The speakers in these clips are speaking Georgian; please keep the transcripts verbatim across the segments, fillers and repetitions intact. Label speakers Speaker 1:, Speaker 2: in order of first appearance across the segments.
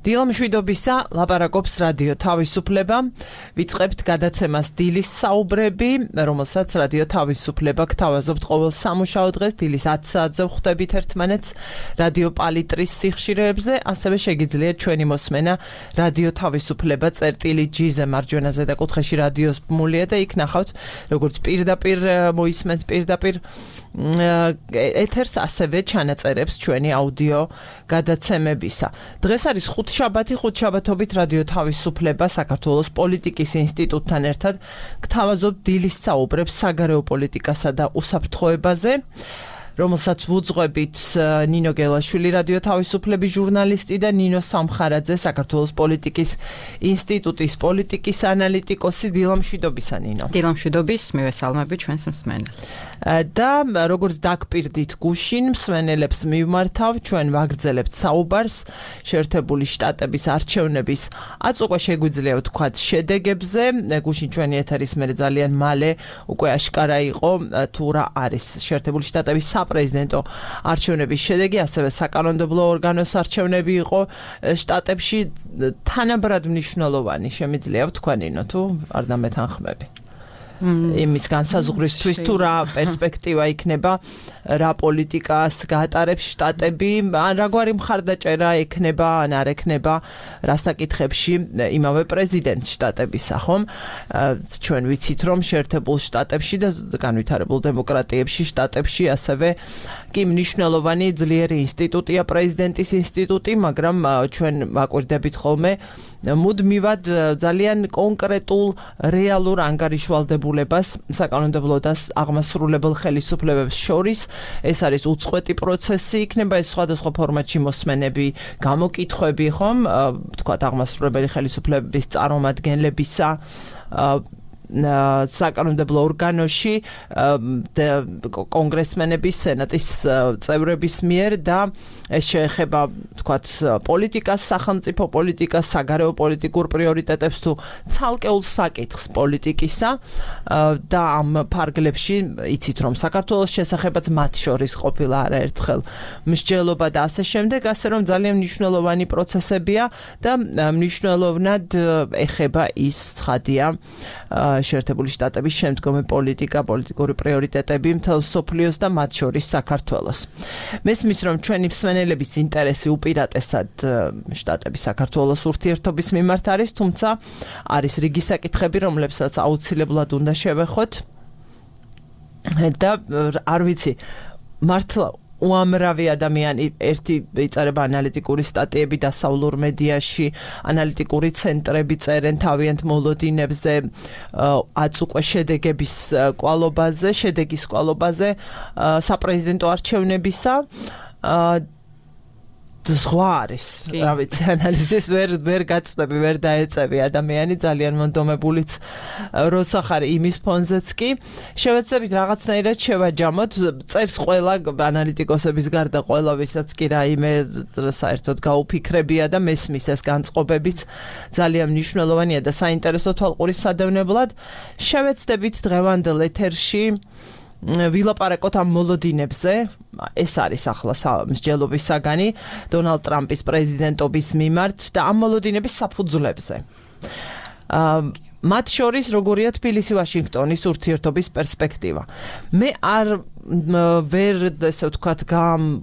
Speaker 1: დილა მშვიდობისა, ლაპარაკობს რადიო თავისუფლება. ვიწყებთ გადაცემას დილის საუბრები, რომელსაც რადიო თავისუფლება გთავაზობთ ყოველ სამუშაო დღეს დილის ათი საათზე ვხვდებით ერთმანეთს რადიო პალიტრის სიხშირეებზე, ასევე შეგიძლიათ ჩვენი მოსმენა რადიო თავისუფლება წერტილი ჯი-ზე მარჯვენა ზედაკუთხეში რადიოს ბმულია და იქ ნახავთ როგორც პირდაპირ მოისმენთ პირდაპირ ეთერს, ასევე ჩანაწერებს ჩვენი აუდიო გადაცემებისა. დღეს არის ხუთშაბათი, ხუთშაბათობით რადიო თავისუფლება საქართველოს პოლიტიკის ინსტიტუტთან ერთად გთავაზობთ დილის საუბრებს საგარეო პოლიტიკასა და უსაფრთხოებაზე, რომელსაც ვუძღვებით ნინო გელაშვილი, რადიო თავისუფლების ჟურნალისტი და ნინო სამხარაძე, საქართველოს პოლიტიკის ინსტიტუტის პოლიტიკის ანალიტიკოსი. დილა მშვიდობისა, ნინო.
Speaker 2: დილა მშვიდობის, მივესალმები ჩვენს მსმენელს.
Speaker 1: და როგორც დაგპირდით გუშინ, მსმენელებს მივმართავ, ჩვენ ვაგრძელებთ საუბარს შეერთებული შტატების არჩევნების აწ უკვე შეგვიძლია ვთქვათ შედეგებზე. გუშინ ჩვენი ეთერის მერე ძალიან მალე უკვე აშკარა იყო თუ რა არის შეერთებული შტატების საპრეზიდენტო არჩევნების შედეგი, ასევე საკანონმდებლო ორგანოს არჩევნები იყო შტატებში. თანაბრად მნიშვნელოვანი შემიძლია ვთქვა, ნინო, თუ არ დამეთანხმები. იმის განსაზღვრისთვის თუ რა პერსპექტივა იქნება, რა პოლიტიკას გაატარებს შტატები, ან რაგვარი მხარდაჭერა ექნება, ან არ ექნება რა საკითხებში იმავე პრეზიდენტ შტატებისა, ხომ? ჩვენ ვიცით, რომ შეერთებულ შტატებში და განვითარებულ დემოკრატიებში შტატებში ასევე კი მნიშვნელოვანი ძლიერი ინსტიტუტია პრეზიდენტის ინსტიტუტი, მაგრამ ჩვენ ვაკვირდებით ხოლმე მუდმივად ძალიან კონკრეტულ რეალურ ანგარიშვალდებულებას საკანონმდებლო და აღმასრულებელ ხელისუფლებებს შორის. ეს არის უწყვეტი პროცესი, იქნება ეს სხვადასხვა ფორმატში მოსმენები, გამოკითხვები, ხომ, თქვათ აღმასრულებელი ხელისუფლებების წარმომადგენლებისა საკანონმდებლო ორგანოში კონგრესმენების, სენატის წევრების მიერ და ეს შეეხება თქვათ პოლიტიკას, სახელმწიფო პოლიტიკას, საგარეო პოლიტიკურ პრიორიტეტებს თუ ცალკეულ საკითხს პოლიტიკისა და ამ ფარგლებში იცით რომ საქართველოს შესახებაც მათ შორის ყოფილა არაერთხელ მსჯელობა და ასე შემდეგ, ასე რომ ძალიან მნიშვნელოვანი პროცესებია და მნიშვნელოვნად ეხება ის ცხადია შეერთებული შტატების შემდგომი პოლიტიკა, პოლიტიკური პრიორიტეტები მთელ მსოფლიოს და მათ შორის საქართველოს. მესმის რომ ჩვენი მსმენელების ინტერესი უპირატესად შტატების საქართველოს ურთიერთობის მიმართ არის, თუმცა არის რიგი საკითხები, რომლებსაც აუცილებლად უნდა შევეხოთ და არ ვიცი, მართლა უამრავი ადამიანი ერთი იწერება ანალიტიკური სტატიები დასავლურ მედიაში, ანალიტიკური ცენტრები წერენ თავიანთ მოლოდინებზე აწ უკვე შედეგების კვალობაზე, შედეგის კვალობაზე საპრეზიდენტო არჩევნებისა. ზღვა არის, რა ვიცი, ანალიზის ვერ ვერ გაწვდები, ვერ დაეწევი ადამიანი, ძალიან მონდომებულიც როცა ხარ იმის ფონზეც კი. შევეცდებით რაღაცნაირად შევაჯამოთ, წერს ყველა ანალიტიკოსების გარდა ყველა, ვისაც კი რაიმე საერთოდ გაუფიქრებია და მესმის ეს განწყობებიც ძალიან მნიშვნელოვანია და საინტერესო თვალყურის სადევნებლად. შევეცდებით დღევანდელ ეთერში ვილაპარაკოთ ამ მოლოდინებზე. ეს არის ახლა მსჯელობის საგანი დონალდ ტრამპის პრეზიდენტობის მიმართ და ამ მოლოდინების საფუძვლებზე. მათ შორის როგორია თბილისი ვაშინგტონის ურთიერთობის პერსპექტივა. მე არ ვერ ესე ვთქვათ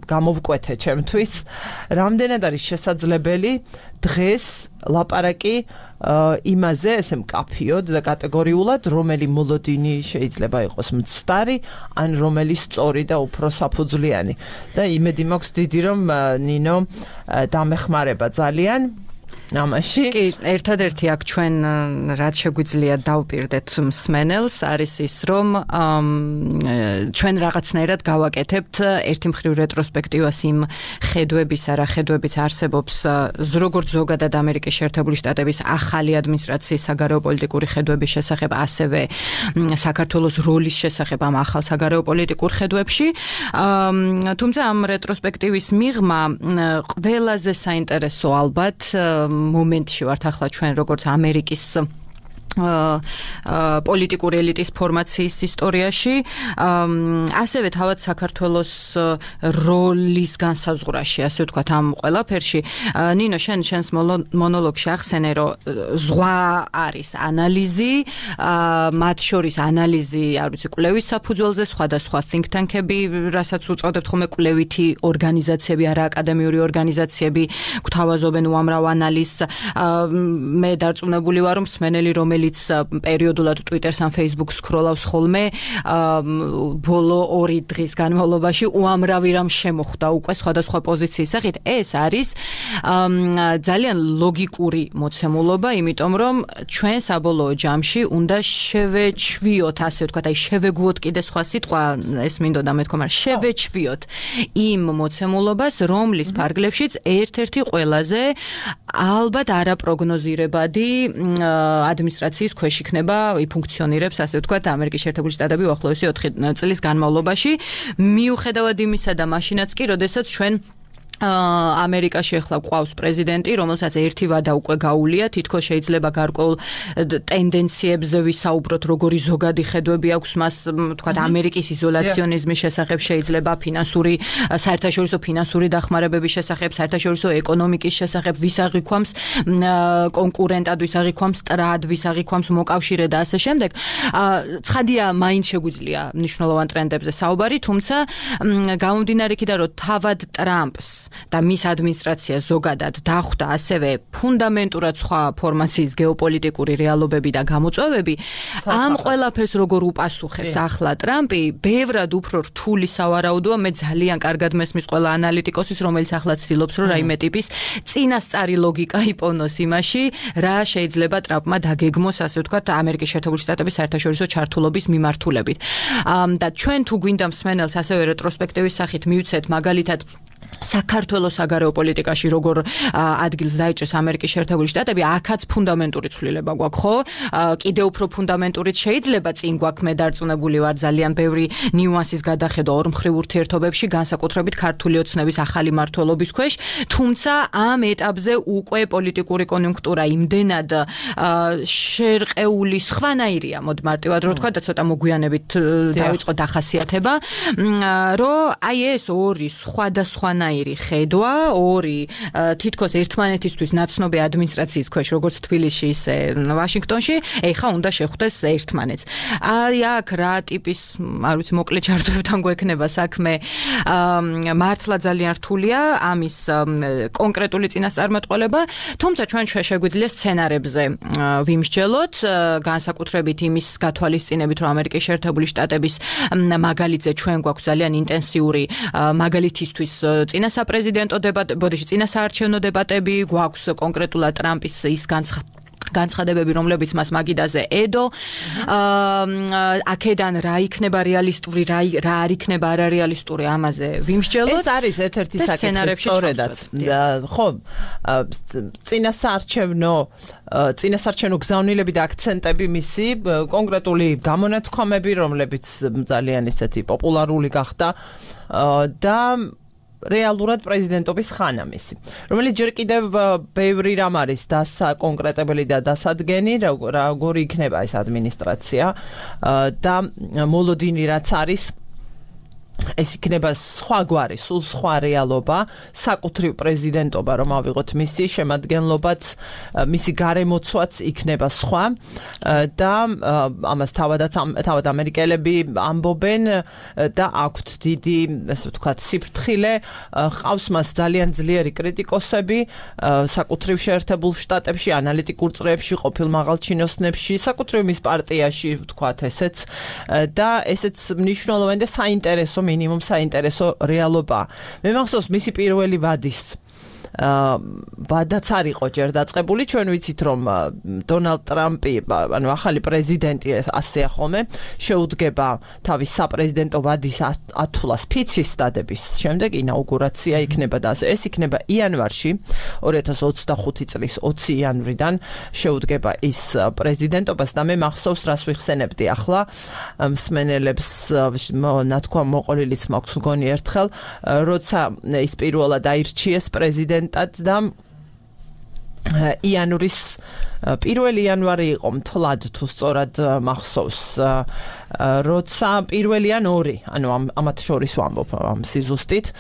Speaker 1: გამოვკვეთე ჩემთვის, რამდენად არის შესაძლებელი დღეს ლაპარაკი იმაზე, ესე მკაფიოდ და კატეგორიულად, რომელი მოლოდინი შეიძლება იყოს მცდარი, ან რომელი სწორი და უფრო საფუძვლიანი. და იმედი მაქვს დიდი, რომ ნინო დამეხმარება ძალიან ამაში.
Speaker 2: კი, ერთადერთი აქ ჩვენ რაც შეგვიძლია დავპირდეთ მსმენელს არის ის, რომ ჩვენ რაღაცნაირად გავაკეთებთ ერთი მხრივ რეტროსპექტივას იმ ხედვებისა, რა ხედვებიც არსებობს როგორც ზოგადად ამერიკის შეერთებული შტატების ახალი ადმინისტრაციის საგარეო პოლიტიკური ხედვების შესახებ, ასევე საქართველოს როლის შესახებ ამ ახალ საგარეო პოლიტიკურ ხედვებში. თუმცა ამ რეტროსპექტივის მიღმა ყველაზე საინტერესო ალბათ მომენტში ვართ ახლა ჩვენ როგორც ამერიკის პოლიტიკური ელიტის ფორმაციის ისტორიაში, ასევე თავად საქართველოს როლის განსაზღვრაში, ასე ვთქვათ, ამ ყველაფერში. ნინო, შენ შენს მონოლოგში ახსენე, რომ ზღვა არის ანალიზი, მათ შორის ანალიზი, არ ვიცი, კვლევის საფუძველზე, სხვადასხვა think tank-ები, რასაც უწოდებთ ხოლმე კვლევითი ორგანიზაციები, არა აკადემიური ორგანიზაციები, გვთავაზობენ უამრავ ანალიზს. მე დარწმუნებული ვარ, რომ მსმენელი, რომელიც პერიოდულად Twitter-ს ან Facebook-ს სკროლავს ხოლმე, ბოლო ორი დღის განმავლობაში უამრავი რამ შემოხვდა უკვე სხვადასხვა პოზიციის სახით. ეს არის ძალიან ლოგიკური მოცემულობა, იმიტომ რომ ჩვენ საბოლოო ჯამში უნდა შევეჩვიოთ, ასე ვთქვათ, აი შევეგუოთ კიდე სხვა სიტყვა, ეს მინდოდა მეთქვა, მაგრამ შევეჩვიოთ იმ მოცემულობას, რომლის ფარგლებშიც ერთ-ერთი ყველაზე ალბათ არაპროგნოზირებადი ადმინისტრაციის ქვეშ იქნება, ფუნქციონირებს, ასე ვთქვათ, ამერიკის შეერთებული შტატები უახლოესი ოთხი წლის განმავლობაში, მიუხედავად იმისა და მაშინაც კი, როდესაც ჩვენ ამერიკაში ახლა ყავს პრეზიდენტი, რომელსაც ერთი ვადა უკვე გაუვლია, თითქოს შეიძლება გარკვეულ ტენდენციებზე ვისაუბროთ, როგორი ზოგადი ხედვები აქვს მას, თქვათ, ამერიკის იზოლაციონიზმის შესახებ, შეიძლება ფინანსური, საერთაშორისო ფინანსური დახმარებების შესახებ, საერთაშორისო ეკონომიკის შესახებ, ვის აღიქვამს კონკურენტად, ვის აღიქვამს ტრად, ვის აღიქვამს მოკავშირე და ასე შემდეგ. ცხადია, მაინც შეგვიძლია მნიშვნელოვან ტრენდებზე საუბარი, თუმცა გამომდინარე იქიდან, რომ თავად ტრამპს და მის ადმინისტრაცია ზოგადად დახვდა ასევე ფუნდამენტურად სხვა ფორმაციის გეოპოლიტიკური რეალობები და გამოწვევები, ამ ყველაფერს როგორ უპასუხებს ახლა ტრამპი, ბევრად უფრო რთული სავარაუდოა, მე ძალიან კარგად მესმის ყველა ანალიტიკოსის, რომელიც ახლა ცდილობს, რომ რაიმე ტიპის წინასწარი ლოგიკა იპოვნოს იმაში, რა შეიძლება ტრამპმა დაგეგმოს, ასე ვთქვათ, ამერიკის შეერთებული შტატების საერთაშორისო ჩართულობის მიმართულებით. და ჩვენ თუ გვინდა მსმენელს ასევე რეტროსპექტივის სახით მივცეთ მაგალითად საქართველოს საგარეო პოლიტიკაში როგორ ადგილს დაიჭერს ამერიკის შეერთებული შტატები, აქაც ფუნდამენტური ცვლილება გვაქვს, ხო? კიდევ უფრო ფუნდამენტურიც შეიძლება წინ გვაქვს, მე დარწმუნებული ვარ, ძალიან ბევრი ნიუანსის გადახედვა ორმხრივ ურთიერთობებში, განსაკუთრებით ქართული ოცნების ახალი მმართველობის ქვეშ, თუმცა ამ ეტაპზე უკვე პოლიტიკური კონიუნქტურა იმდენად შერყეული სხვანაირია, მოდ მარტივად რო ვთქვა და ცოტა მოგვიანებით დავიწყო დახასიათება, რომ აი ეს ორი სხვადასხვანაირი ხედვა, ორი თითქოს ერთმანეთისთვის ნაცნობი ადმინისტრაციის ქვეშ, როგორც თბილისში, ისე ვაშინგტონში, ეხა უნდა შეხვდეს ერთმანეთს. აი აქ რა ტიპის, არ ვიცი, მოკლე ჩართვებთან გვექნება საქმე, მართლა ძალიან რთულია ამის კონკრეტული წინასწარმეტყველება, თუმცა ჩვენ შეგვიძლია სცენარებზე ვიმსჯელოთ, განსაკუთრებით იმის გათვალისწინებით, რომ ამერიკის შეერთებული შტატების მაგალითზე ჩვენ გვაქვს ძალიან ინტენსიური მაგალითისთვის წინასაპრეზიდენტო დებატები, ბოდიში წინასაარჩევნო დებატები, გვაქვს კონკრეტულად ტრამპის ის განცხადება განცხადებები, რომლებიც მას მაგიდაზე ედო. აქედან რა იქნება რეალისტური, რა რა არ იქნება არარეალისტური, ამაზე ვიმსჯელოთ.
Speaker 1: ეს არის ერთ-ერთი საკითხი სწორედაც. ხო, წინასაარჩევნო წინასაარჩევნო გზავნილები და აქცენტები მისი, კონკრეტული გამონათქვამები, რომლებიც ძალიან ისეთი პოპულარული გახდა და რეალურად პრეზიდენტობის ხანა მისი, რომელიც ჯერ კიდევ ბევრი რამ არის დასაკონკრეტებელი და დასადგენი, როგორი იქნება ეს ადმინისტრაცია და მოლოდინი რაც არის, ეს იქნება სხვა გვარი, სულ სხვა რეალობა, საკუთრივ პრეზიდენტობა, რომ ავიღოთ მისი შემადგენლობაც, მისი გარემოცვაც იქნება სხვა და ამას თავადაც თავად ამერიკელები ამბობენ და აქვთ დიდი, ესე ვთქვათ, სიფრთხილე, ყავს მას ძალიან ძლიერი კრიტიკოსები საკუთრივ შეერთებულ შტატებში, ანალიტიკურ წრეებში, ყოფილ მაღალჩინოსნებში, საკუთრივ მის პარტიაში, ვთქვათ ესეც და ესეც მნიშვნელოვანი და საინტერესო მინიმუმ საინტერესო რეალობა. მე მახსოვს მისი პირველი ვადის ვადაც არ იყო ჯერ დაწყებული, ჩვენ ვიცით რომ დონალდ ტრამპი, ანუ ახალი პრეზიდენტი ასე ახome, შეუდგება თავის საპრეზიდენტო ვადის ათვლას ფიცის დადების შემდეგ, ინაუგურაცია იქნება და ეს იქნება იანვარში, ორი ათას ოცდახუთი წლის ოცი იანვრიდან შეუდგება ის პრეზიდენტობას და მე მახსოვს რას ვიხსენებდი ახლა მსმენელებს ნათქვამ მოყოლილიც მაქვს მგონი ერთხელ, როცა ის პირველად აირჩიეს პრეზიდენტად და იანვრის პირველი იანვარი იყო მთლად თუ სწორად მახსოვს როცა პირველი ან ორი ანუ ამათ შორის ვამბობ ამ სიზუსტით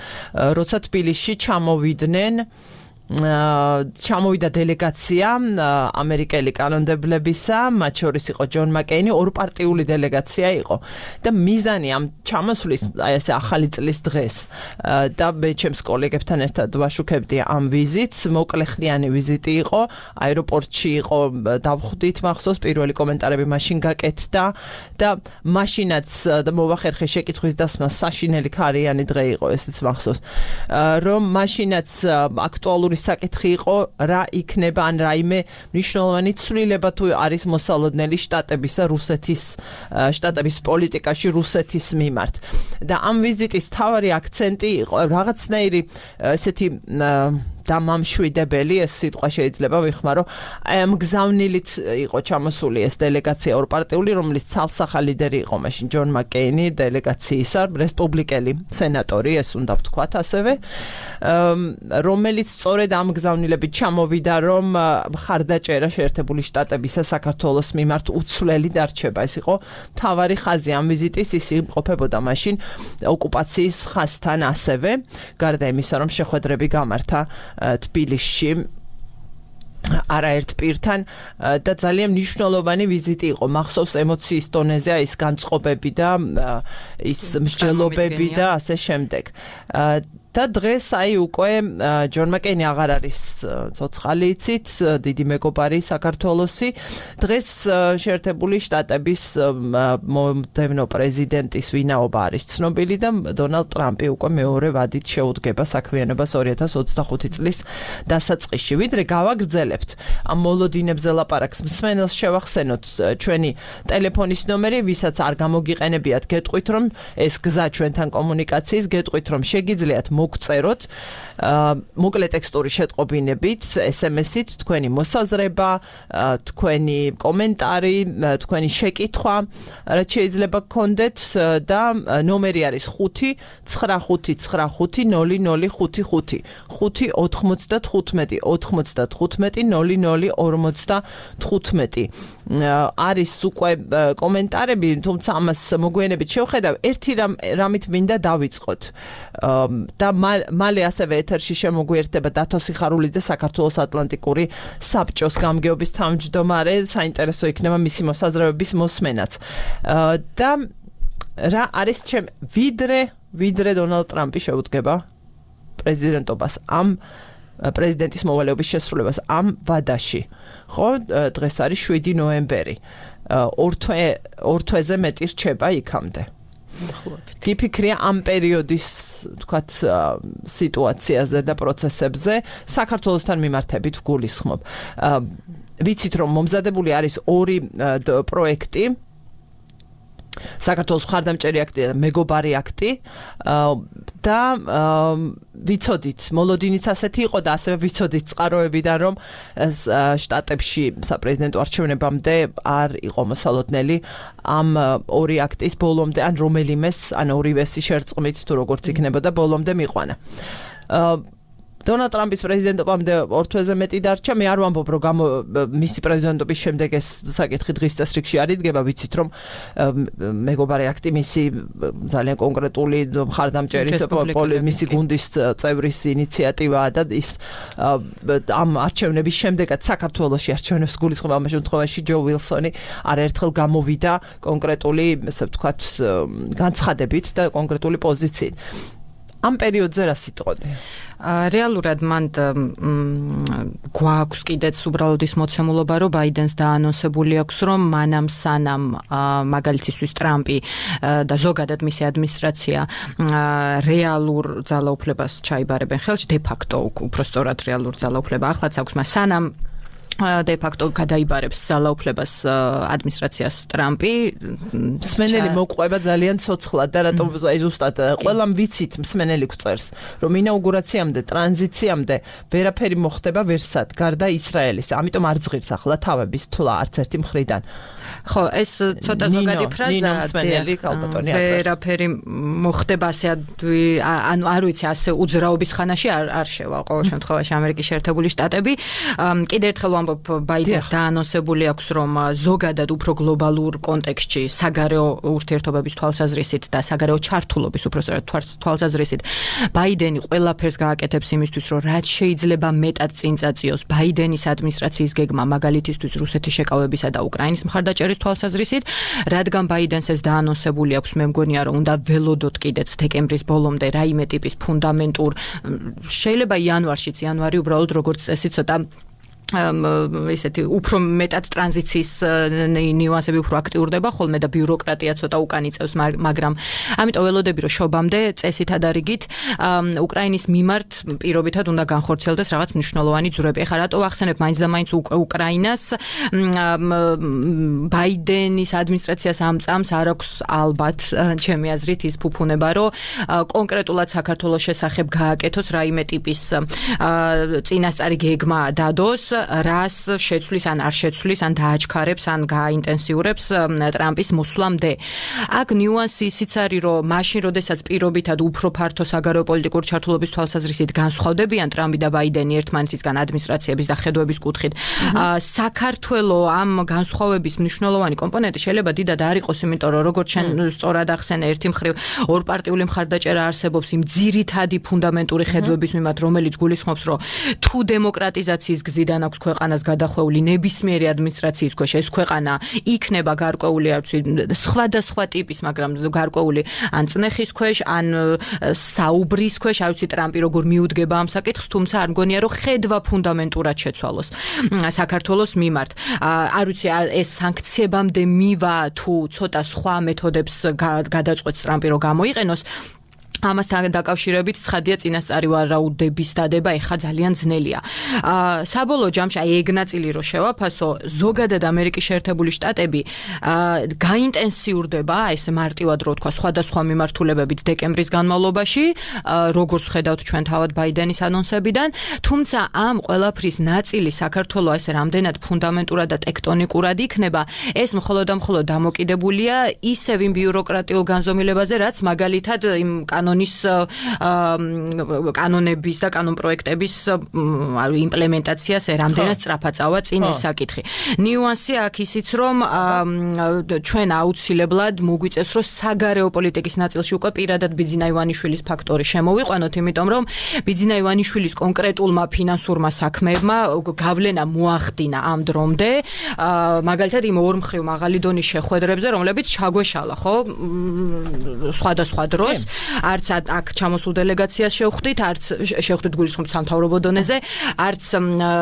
Speaker 1: როცა თბილისში ჩამოვიდნენ ჩამოვიდა დელეგაცია ამერიკელი კანონმდებლებისა, მათ შორის იყო ჯონ მაკეინი, ორპარტიული დელეგაცია იყო და მიზანი ამ ჩამოსვლის აი ესე ახალი წლის დღეს და მე ჩემს კოლეგებთან ერთად ვაშუქებდი ამ ვიზიტს, მოკლეხნიანი ვიზიტი იყო, აეროპორტში იყო დავხვდით მახსოვს, პირველი კომენტარები მაშინ გაკეთდა და მაშინაც და მოვახერხე შეკითხვის დასმა საშინელი ქარიანი დღე იყო, ესეც მახსოვს, რომ მაშინაც აქტუალური საკითხი იყო რა იქნება ან რაიმე მნიშვნელოვანი ცვლილება თუ არის მოსალოდნელი შტატებისა რუსეთის შტატების პოლიტიკაში რუსეთის მიმართ და ამ ვიზიტის მთავარი აქცენტი იყო რაღაცნაირი ესეთი დამამშვიდებელი ეს სიტყვა შეიძლება ვიხმარო აი ამ გზავნილით იყო ჩამოსული ეს დელეგაცია ორპარტიული რომლის ცალსახა ლიდერი იყო მაშინ ჯონ მაკეინი დელეგაციისა რესპუბლიკელი სენატორი ეს უნდა ვთქვათ ასევე რომელიც სწორედ ამ გზავნილებით ჩამოვიდა რომ მხარდაჭერა შეერთებული შტატებისა საქართველოს მიმართ უცვლელი დარჩება ეს იყო მთავარი ხაზი ამ ვიზიტის ის იმყოფებოდა მაშინ ოკუპაციის ხაზთან ასევე გარდა იმისა რომ შეხვედრები გამართა თბილისში არაერთ პირთან და ძალიან მნიშვნელოვანი ვიზიტი იყო მახსოვს ემოციის დონეზე ის განწყობები და ის მსჯელობები და ასე შემდეგ და დღეს აი უკვე ჯონ მაკეინი აღარ არის ცოცხალი იცით დიდი მეგობარი საქართველოსი დღეს შეერთებული შტატების მომდევნო პრეზიდენტის ვინაობა არის ცნობილი და დონალდ ტრამპი უკვე მეორე ვადით შეუდგება საქმიანობას ორი ათას ოცდახუთი წლის დასაწყისში ვიდრე გავაგრძელებთ ამ მოლოდინებზე ლაპარაკს მსმენელს შევახსენოთ ჩვენი ტელეფონის ნომერი ვისაც არ გამოგიყენებიათ გეტყვით რომ ეს გზა ჩვენთან კომუნიკაციის გეტყვით რომ შეგიძლიათ მოგწეროთ მოკლე ტექსტური შეტყობინებით ეს ემ ესით თქვენი მოსაზრება თქვენი კომენტარი თქვენი შეკითხვა რაც შეიძლება გქონდეთ და ნომერი არის ხუთი ცხრა ხუთი ცხრა ხუთი ნული ნული ხუთი ხუთი ხუთი ოთხმოცდათხუთმეტი ოთხმოცდათხუთმეტი ნული ნული ორმოცდათხუთმეტი არის უკვე კომენტარები თუმცა ამას მოგვიანებით შევხედავ ერთი რამით მინდა დავიწყოთ და მალე ასევე ეთერში შემოგვიერთდება დათო სიხარულიძე საქართველოს ატლანტიკური საბჭოს გამგეობის თავმჯდომარე საინტერესო იქნება მისი მოსაზრებების მოსმენაც და რა არის ჩემ ვიდრე ვიდრე დონალდ ტრამპი შეუდგება პრეზიდენტობას ამ პრეზიდენტის მოვალეობის შესრულებას ამ ვადაში ხო დღეს არის შვიდი ნოემბერი ორ თვე ორ თვეზე მეტი რჩება იქამდე გიფიქრია ამ პერიოდის თქვათ სიტუაციაზე და პროცესებზე საქართველოსთან მიმართებით ვგულისხმობ ვიცით რომ მომზადებული არის ორი პროექტი საქართველოს მხარდამჭერი აქტი და მეგობარი აქტი და ვიცოდით მოლოდინიც ასეთი იყო და ასევე ვიცოდით წყაროებიდან რომ შტატებში საპრეზიდენტო არჩევნებამდე არ იყო მოსალოდნელი ამ ორი აქტის ბოლომდე ან რომელიმეს ან ორივესი შერწყმით თუ როგორც იქნებოდა ბოლომდე მიყვანა დონალდ ტრამპის პრეზიდენტობამდე ორ თვეზე მეტი დარჩა მე არ ვამბობ რომ მისი პრეზიდენტობის შემდეგ ეს საკითხი დღის წესრიგში არ იდგება ვიცით რომ მეგობარი აქტი მისი ძალიან კონკრეტული მხარდამჭერის მისი გუნდის წევრის ინიციატივაა და ის ამ არჩევნების შემდეგაც საქართველოში არჩევნებს გულისხმობა ამ შემთხვევაში ჯო ვილსონი არაერთხელ გამოვიდა კონკრეტული ესე ვთქვათ განცხადებით და კონკრეტული პოზიციით ამ პერიოდზე რა სიტყოდი
Speaker 2: რეალურად მან გვაქვს კიდეც უბრალოდ ის მოცემულობა რომ ბაიდენს დაანონსებული აქვს რომ მანამ სანამ მაგალითისთვის ტრამპი და ზოგადად მისი ადმინისტრაცია რეალურ ძალაუფლებას ჩაიბარებენ ხელში დე ფაქტო უფრო სწორად რეალურ ძალაუფლება ახლაც აქვს მას სანამ de facto გადაიბარებს ძალაუფლებას ადმინისტრაციას ტრამპი
Speaker 1: მსმენელი მოყვება ძალიან ცოცხლად და რატომ ზუსტად ყველამ ვიცით მსმენელი გვწერს რომ ინაუგურაციამდე ტრანზიციამდე ვერაფერი მოხდება ვერსად გარდა ისრაელის ამიტომ არ ზღირს ახლა თავების თვლა არც ერთი მხრიდან
Speaker 2: ხო, ეს ცოტა ზოგადი ფრაზაა.
Speaker 1: ნინო მსმენელი ალბათონი აწერს.
Speaker 2: ვერაფერი მოხდება ასე ანუ არ ვიცი, ასე უძრაობის ხანაში არ არ შევა ყოველ შემთხვევაში ამერიკის შეერთებული შტატები. კიდევ ერთხელ ვამბობ, ბაიდენს დაანონსებული აქვს, რომ ზოგადად უფრო გლობალურ კონტექსტში საგარეო ურთიერთობების თვალსაზრისით და საგარეო ჩართულობის უпростоრად თვალსაზრისით ბაიდენი ყველაფერს გააკეთებს იმისთვის, რომ რაც შეიძლება მეტად წინ წაწიოს ბაიდენის ადმინისტრაციის გეგმა მაგალითისთვის რუსეთის შეკავებისა და უკრაინის მხარდაჭერის თვალსაზრისით, რადგან ბაიდენს ეს დაანონსებული აქვს, მე მგონია, რომ უნდა ველოდოთ კიდეც დეკემბრის ბოლომდე რაიმე ტიპის ფუნდამენტურ, შეიძლება იანვარშიც, იანვარი უბრალოდ როგორც წესი ცოტა ისეთი უფრო მეტად ტრანზიციის ნიუანსები უფრო აქტიურდება ხოლმე და ბიუროკრატია ცოტა უკან იწევს, მაგრამ ამიტომ ველოდები რომ შობამდე წესით ადარიგით უკრაინის მიმართ პირობითად უნდა განხორციელდეს რაღაც მნიშვნელოვანი ძროები. ეხლა რატო ვახსენებ მაინც და მაინც უკრაინას, ბაიდენის ადმინისტრაციას ამ წამს არ აქვს ალბათ ჩემი აზრით ის ფუფუნება, რომ კონკრეტულად საქართველოს შესახებ გააკეთოს რაიმე ტიპის წინასწარი გეგმა დადოს, რას შეცვლის ან არ შეცვლის, ან დააჩქარებს, ან გააინტენსიურებს ტრამპის მოსვლამდე. აქ ნიუანსი ისიც არის, რომ მაშინ, როდესაც პირობითად უფრო ფართო საგარეო პოლიტიკური ჩართულობის თვალსაზრისით განსხვავდებიან ტრამპი და ბაიდენი ერთმანეთისგან ადმინისტრაციების და ხედვების კუთხით, საქართველოს ამ განსხვავების მნიშვნელოვანი კომპონენტი შეიძლება დიდად არ იყოს, იმიტომ რომ როგორც შენ სწორად ახსენე, ერთი მხრივ ორპარტიული მხარდაჭერა არსებობს იმ ძირითადი ფუნდამენტური ხედვების მიმართ, რომელიც გულისხმობს, რომ თუ დემოკრატიზაციის გზიდან აქვს ქვეყანას გადახვეული ნებისმიერი ადმინისტრაციის ქვეშ, ეს ქვეყანა იქნება გარკვეული, არ ვიცი, სხვადასხვა ტიპის, მაგრამ გარკვეული ან წნეხის ქვეშ, ან საუბრის ქვეშ, არ ვიცი, ტრამპი როგორ მიუდგება ამ საკითხს, თუმცა არ მგონია, რომ ხედვა ფუნდამენტურად შეცვალოს საქართველოს მიმართ. არ ვიცი, ეს სანქციებამდე მივა თუ ცოტა სხვა მეთოდებს გადაწყვეტს ტრამპი, რომ გამოიყენოს. ამასთან დაკავშირებით ცხადია წინასწარი ვარაუდების დადება ეხა ძალიან ძნელია. საბოლოო ჯამში აი ეგ ნაწილი რო შევაფასო, ზოგადად ამერიკის შეერთებული შტატები გაინტენსიურდება, ეს მარტივად რო თქვა, სხვადასხვა მიმართულებებით დეკემბრის განმავლობაში, როგორც ხედავთ ჩვენ თავად ბაიდენის ანონსებიდან, თუმცა ამ ყველაფრის ნაწილი საქართველოს ესე რამდენად ფუნდამენტურად და ტექტონიკურად იქნება, ეს მხოლოდ და მხოლოდ დამოკიდებულია ისევ იმ ბიუროკრატიულ განზომილებაზე, რაც მაგალითად იმ კანონის კანონების და კანონპროექტების იმპლემენტაციას რამდენად სწრაფად წავა წინ ეს საკითხი. ნიუანსი აქ ისიც, რომ ჩვენ აუცილებლად მოგვიწევს, რომ საგარეო პოლიტიკის ნაწილში უკვე პირადად ბიძინა ივანიშვილის ფაქტორი შემოვიყვანოთ, იმიტომ რომ ბიძინა ივანიშვილის კონკრეტულმა ფინანსურმა საქმეებმა გავლენა მოახდინა ამ დრომდე, მაგალითად იმ ორმხრივ მაღალი დონის შეხვედრებზე, რომლებიც ჩაგვეშალა, ხო, სხვადასხვა დროს, არც აქ ჩამოსულ დელეგაციას შევხვდით, არც შევხვდით გულისხმობ სამთავრობო დონეზე, არც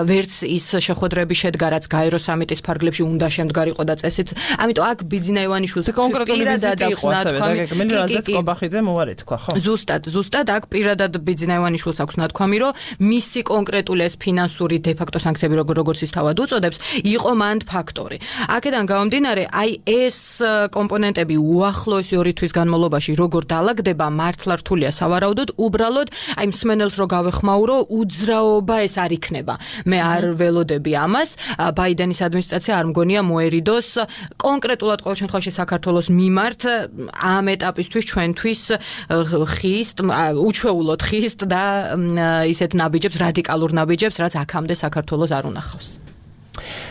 Speaker 2: ვერც ის შეხვედრები შედგა, რაც გაერო სამიტის ფარგლებში უნდა შემდგარიყო და წესით. ამიტომ აქ ბიძინა ივანიშვილს
Speaker 1: კონკრეტული ვიზიტი იყო ასევე და გეგმილი რაზეც კობახიძე მოვა თქვა, ხო?
Speaker 2: ზუსტად, ზუსტად აქ პირადად ბიძინა ივანიშვილს აქვს ნათქვამი, რომ მისი კონკრეტული ეს ფინანსური დე-ფაქტო სანქციები, როგორც ის თავად უწოდებს, იყო მან ფაქტორი. აქედან გამომდინარე, აი ეს კომპონენტები უახლოესი ორი თვის განმავლობაში როგორ დაალაგდება, მართლა რთულია სავარაუდოდ, უბრალოდ აი მსმენელს რო გავეხმაურო, უძრაობა ეს არ იქნება. მე არ ველოდები ამას. ბაიდენის ადმინისტრაცია არ მგონია მოერიდოს კონკრეტულად ყოველ შემთხვევაში საქართველოს მიმართ ამ ეტაპისთვის ჩვენთვის ხისტ, უჩვეულოდ ხისტ და ისეთ ნაბიჯებს, რადიკალურ ნაბიჯებს, რაც აქამდე საქართველოს არ უნახავს.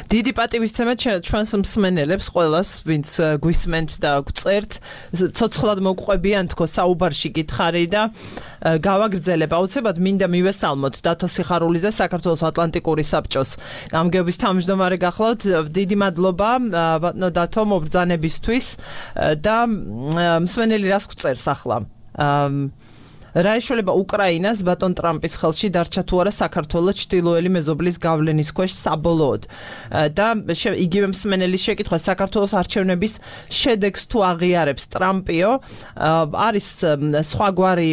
Speaker 1: დიდი პატივისცემით ჩვენს მსმენელებს ყველას, ვინც გვისმენთ და გვწერთ, ცოცხლად მოგყვებიან თქო საუბარში გითხარი და გავაგრძელებ. აუცილებლად მინდა მივესალმოთ დათო სიხარულიძე, საქართველოს ატლანტიკური საბჭოს გამგეობის თავმჯდომარე გახლავთ. დიდი მადლობა ბატონო დათო მობრძანებისთვის და მსმენელი რას გვწერს ახლა? რა ეშველება უკრაინას ბატონ ტრამპის ხელში დარჩა თუ არა საქართველოს ჩრდილოელი მეზობლის გავლენის ქვეშ საბოლოოდ და იგივე მსმენელის შეკითხვა, საქართველოს არჩევნების შედეგს თუ აღიარებს ტრამპიო, არის სხვაგვარი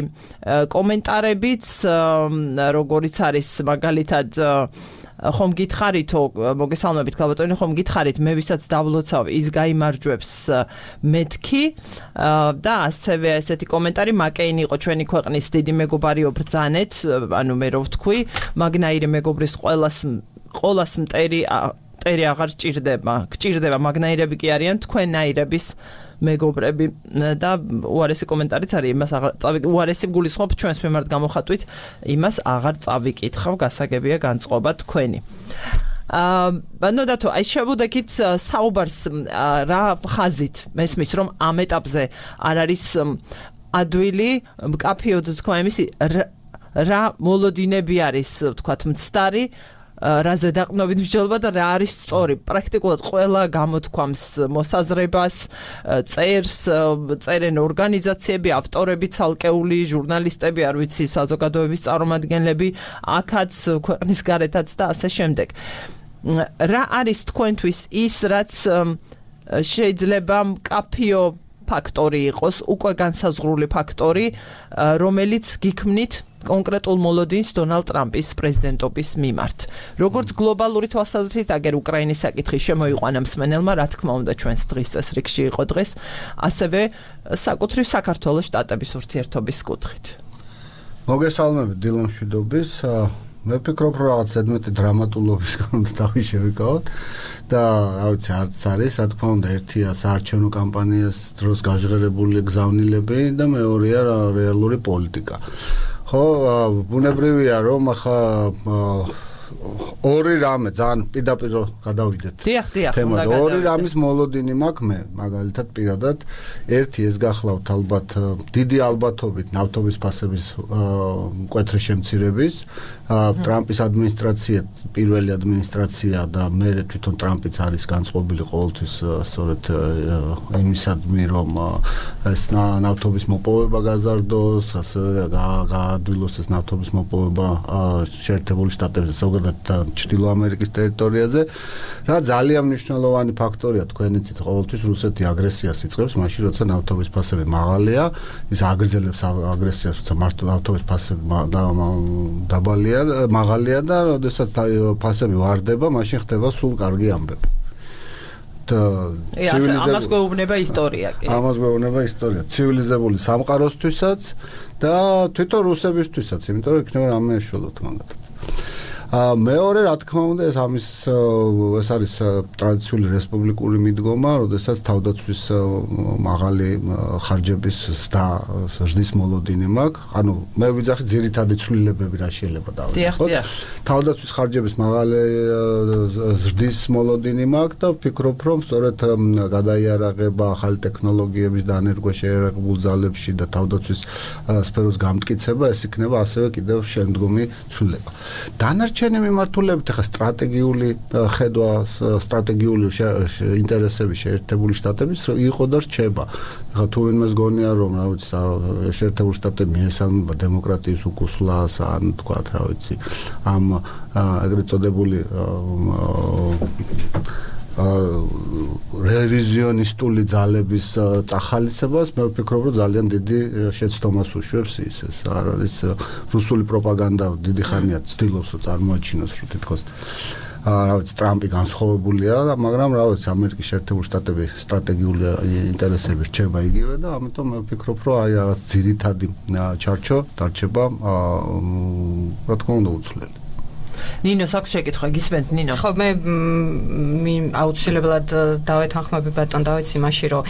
Speaker 1: კომენტარებიც, როგორიც არის მაგალითად ხომ გითხარითო, მოგესალმებით ქალბატონი, ხომ გითხარით, მე ვისაც დავლოცავ, ის გაიმარჯვებს მეთქი და ასევე ესეთი კომენტარი, მაკეინი იყო ჩვენი ქვეყნის დიდი მეგობარიო ბრძანეთ, ანუ მე რო ვთქვი, მაგნაირი მეგობრის ყოველას ყოველას მტერი მტერი აღარ ჭირდება. გჭირდება მაგნაირები კი არიან თქვენნაირების მეგობრები და უარესი კომენტარიც არის იმას აღარ წავიკ უარესი გულისხმობ ჩვენს მიმართ გამოხატვით იმას აღარ წავიკითხავ გასაგებია განწყობა თქვენი. აა ნოდათო აი შევუდექით საუბარს რა ხაზით მესმის რომ ამ ეტაპზე არ არის ადვილი მკაფიოდ თქვა იმისი რა მოლოდინები არის თქვათ მცდარი რა ზედაყრდნობით მსჯელობა და რა არის სწორი პრაქტიკულად ყველა გამოთქვამს მოსაზრებას წერს წერენ ორგანიზაციები ავტორები ცალკეული ჟურნალისტები არ ვიცი საზოგადოების წარმომადგენლები აქაც ქვეყნის გარეთაც და ასე შემდეგ რა არის თქვენთვის ის რაც შეიძლება მკაფიო ფაქტორი იყოს უკვე განსაზღვრული ფაქტორი რომელიც გიქმნით კონკრეტულ მოლოდინს დონალდ ტრამპის პრეზიდენტობის მიმართ. როგორც გლობალური თვალსაზრისით, აგერ უკრაინის საკითხი შემოიყვანა მსმენელმა, რა თქმა უნდა, ჩვენს დღის წესრიგში იყო დღეს, ასევე საკუთრივ საქართველოს შტატების ურთიერთობის კუთხით.
Speaker 3: მოგესალმებით დილა მშვიდობის. მე ვფიქრობ, რომ რაღაც ზედმეტი დრამატულობის გამო თავი შევიკავოთ და რა ვიცი, არც არის, რა თქმა უნდა, ერთია საარჩევნო კამპანიას დროს გაჟღერებული გზავნილები და მეორეა რეალური პოლიტიკა. ხო, ბუნებრივია რომ ახლა ორი რამე ძალიან პირდაპირ გადავიდეთ.
Speaker 1: დიახ, დიახ,
Speaker 3: უნდა გადავიდეთ. ორი რამის მოლოდინი მაქვს მე, მაგალითად პირადად, ერთი ეს გახლავთ ალბათ დიდი ალბათობით ნავთობის ფასების მკვეთრი შემცირების, ტრამპის ადმინისტრაცია პირველი ადმინისტრაცია და მე თვითონ ტრამპიც არის განწყობილი ყოველთვის სწორედ იმისადმი რომ ეს ნავთობის მოპოვება გაზარდოს, ასე გაადვილოს ეს ნავთობის მოპოვება შეერთებული შტატებზე, ზოგადად ჩრდილო ამერიკის ტერიტორიაზე, რა ძალიან მნიშვნელოვანი ფაქტორია თქვენ იცით ყოველთვის რუსეთი აგრესიას იწყებს, მაშინ როცა ნავთობის ფასები მაღალია, ის აგრძელებს აგრესიას, როცა მარტო ნავთობის ფასები დაბალია მაღალია და როდესაც ფასები ვარდება, მაშინ ხდება სულ კარგი ამბები.
Speaker 1: ამას გვეუბნება ისტორია კი.
Speaker 3: ამას გვეუბნება ისტორია. ცივილიზებული სამყაროსთვისაც და თვითონ რუსებისთვისაც, იმიტომ რომ იქნება რამე ეშველოთ მაგათაც. მეორე რა თქმა უნდა ეს ამის ეს არის ტრადიციული რესპუბლიკური მიდგომა, როდესაც თავდაცვის მაღალი ხარჯების და ზრდის მოლოდინი მაქვს. ანუ მე ვიძახი ძირითადი ცვლილებები რა შეიძლება დავიღოთ. თავდაცვის ხარჯების მაღალი ზრდის მოლოდინი მაქვს და ვფიქრობ რომ სწორედ გადაიარაღება ახალი ტექნოლოგიების და ენერგოშეერაღებულ ძალებში და თავდაცვის სფეროს გამტკიცება ეს იქნება ასევე კიდევ შემდგომი ცვლილება. დანარჩენი მიმართულებით ახლა სტრატეგიული ხედვა, სტრატეგიული ინტერესები შეერთებული შტატების იყო და რჩება. ახლა თუ ვინმეს გონია რომ რა ვიცი შეერთებული შტატები მიესალმება დემოკრატიის უკუსლას ან თქვა რა ვიცი ამ ეგრეთ წოდებული რევიზიონისტული ძალების წახალისებას მე ვფიქრობ რომ ძალიან დიდი შეცდომას უშვებს ის ეს არ არის რუსული პროპაგანდა დიდი ხანია ცდილობს რომ წარმოაჩინოს რომ თითქოს რა ვიცი ტრამპი განსხვავებულია და მაგრამ რა ვიცი ამერიკის შეერთებული შტატები სტრატეგიული ინტერესები რჩება იგივე და ამიტომ მე ვფიქრობ რომ აი რაღაც ძირითადი ჩარჩო დარჩება რა თქმა უნდა უცვლელი.
Speaker 1: ნინო საქმე შეკითხვა გისმენთ ნინო
Speaker 2: ხო მე აუცილებლად დავეთანხმები ბატონ დავით იმაში რომ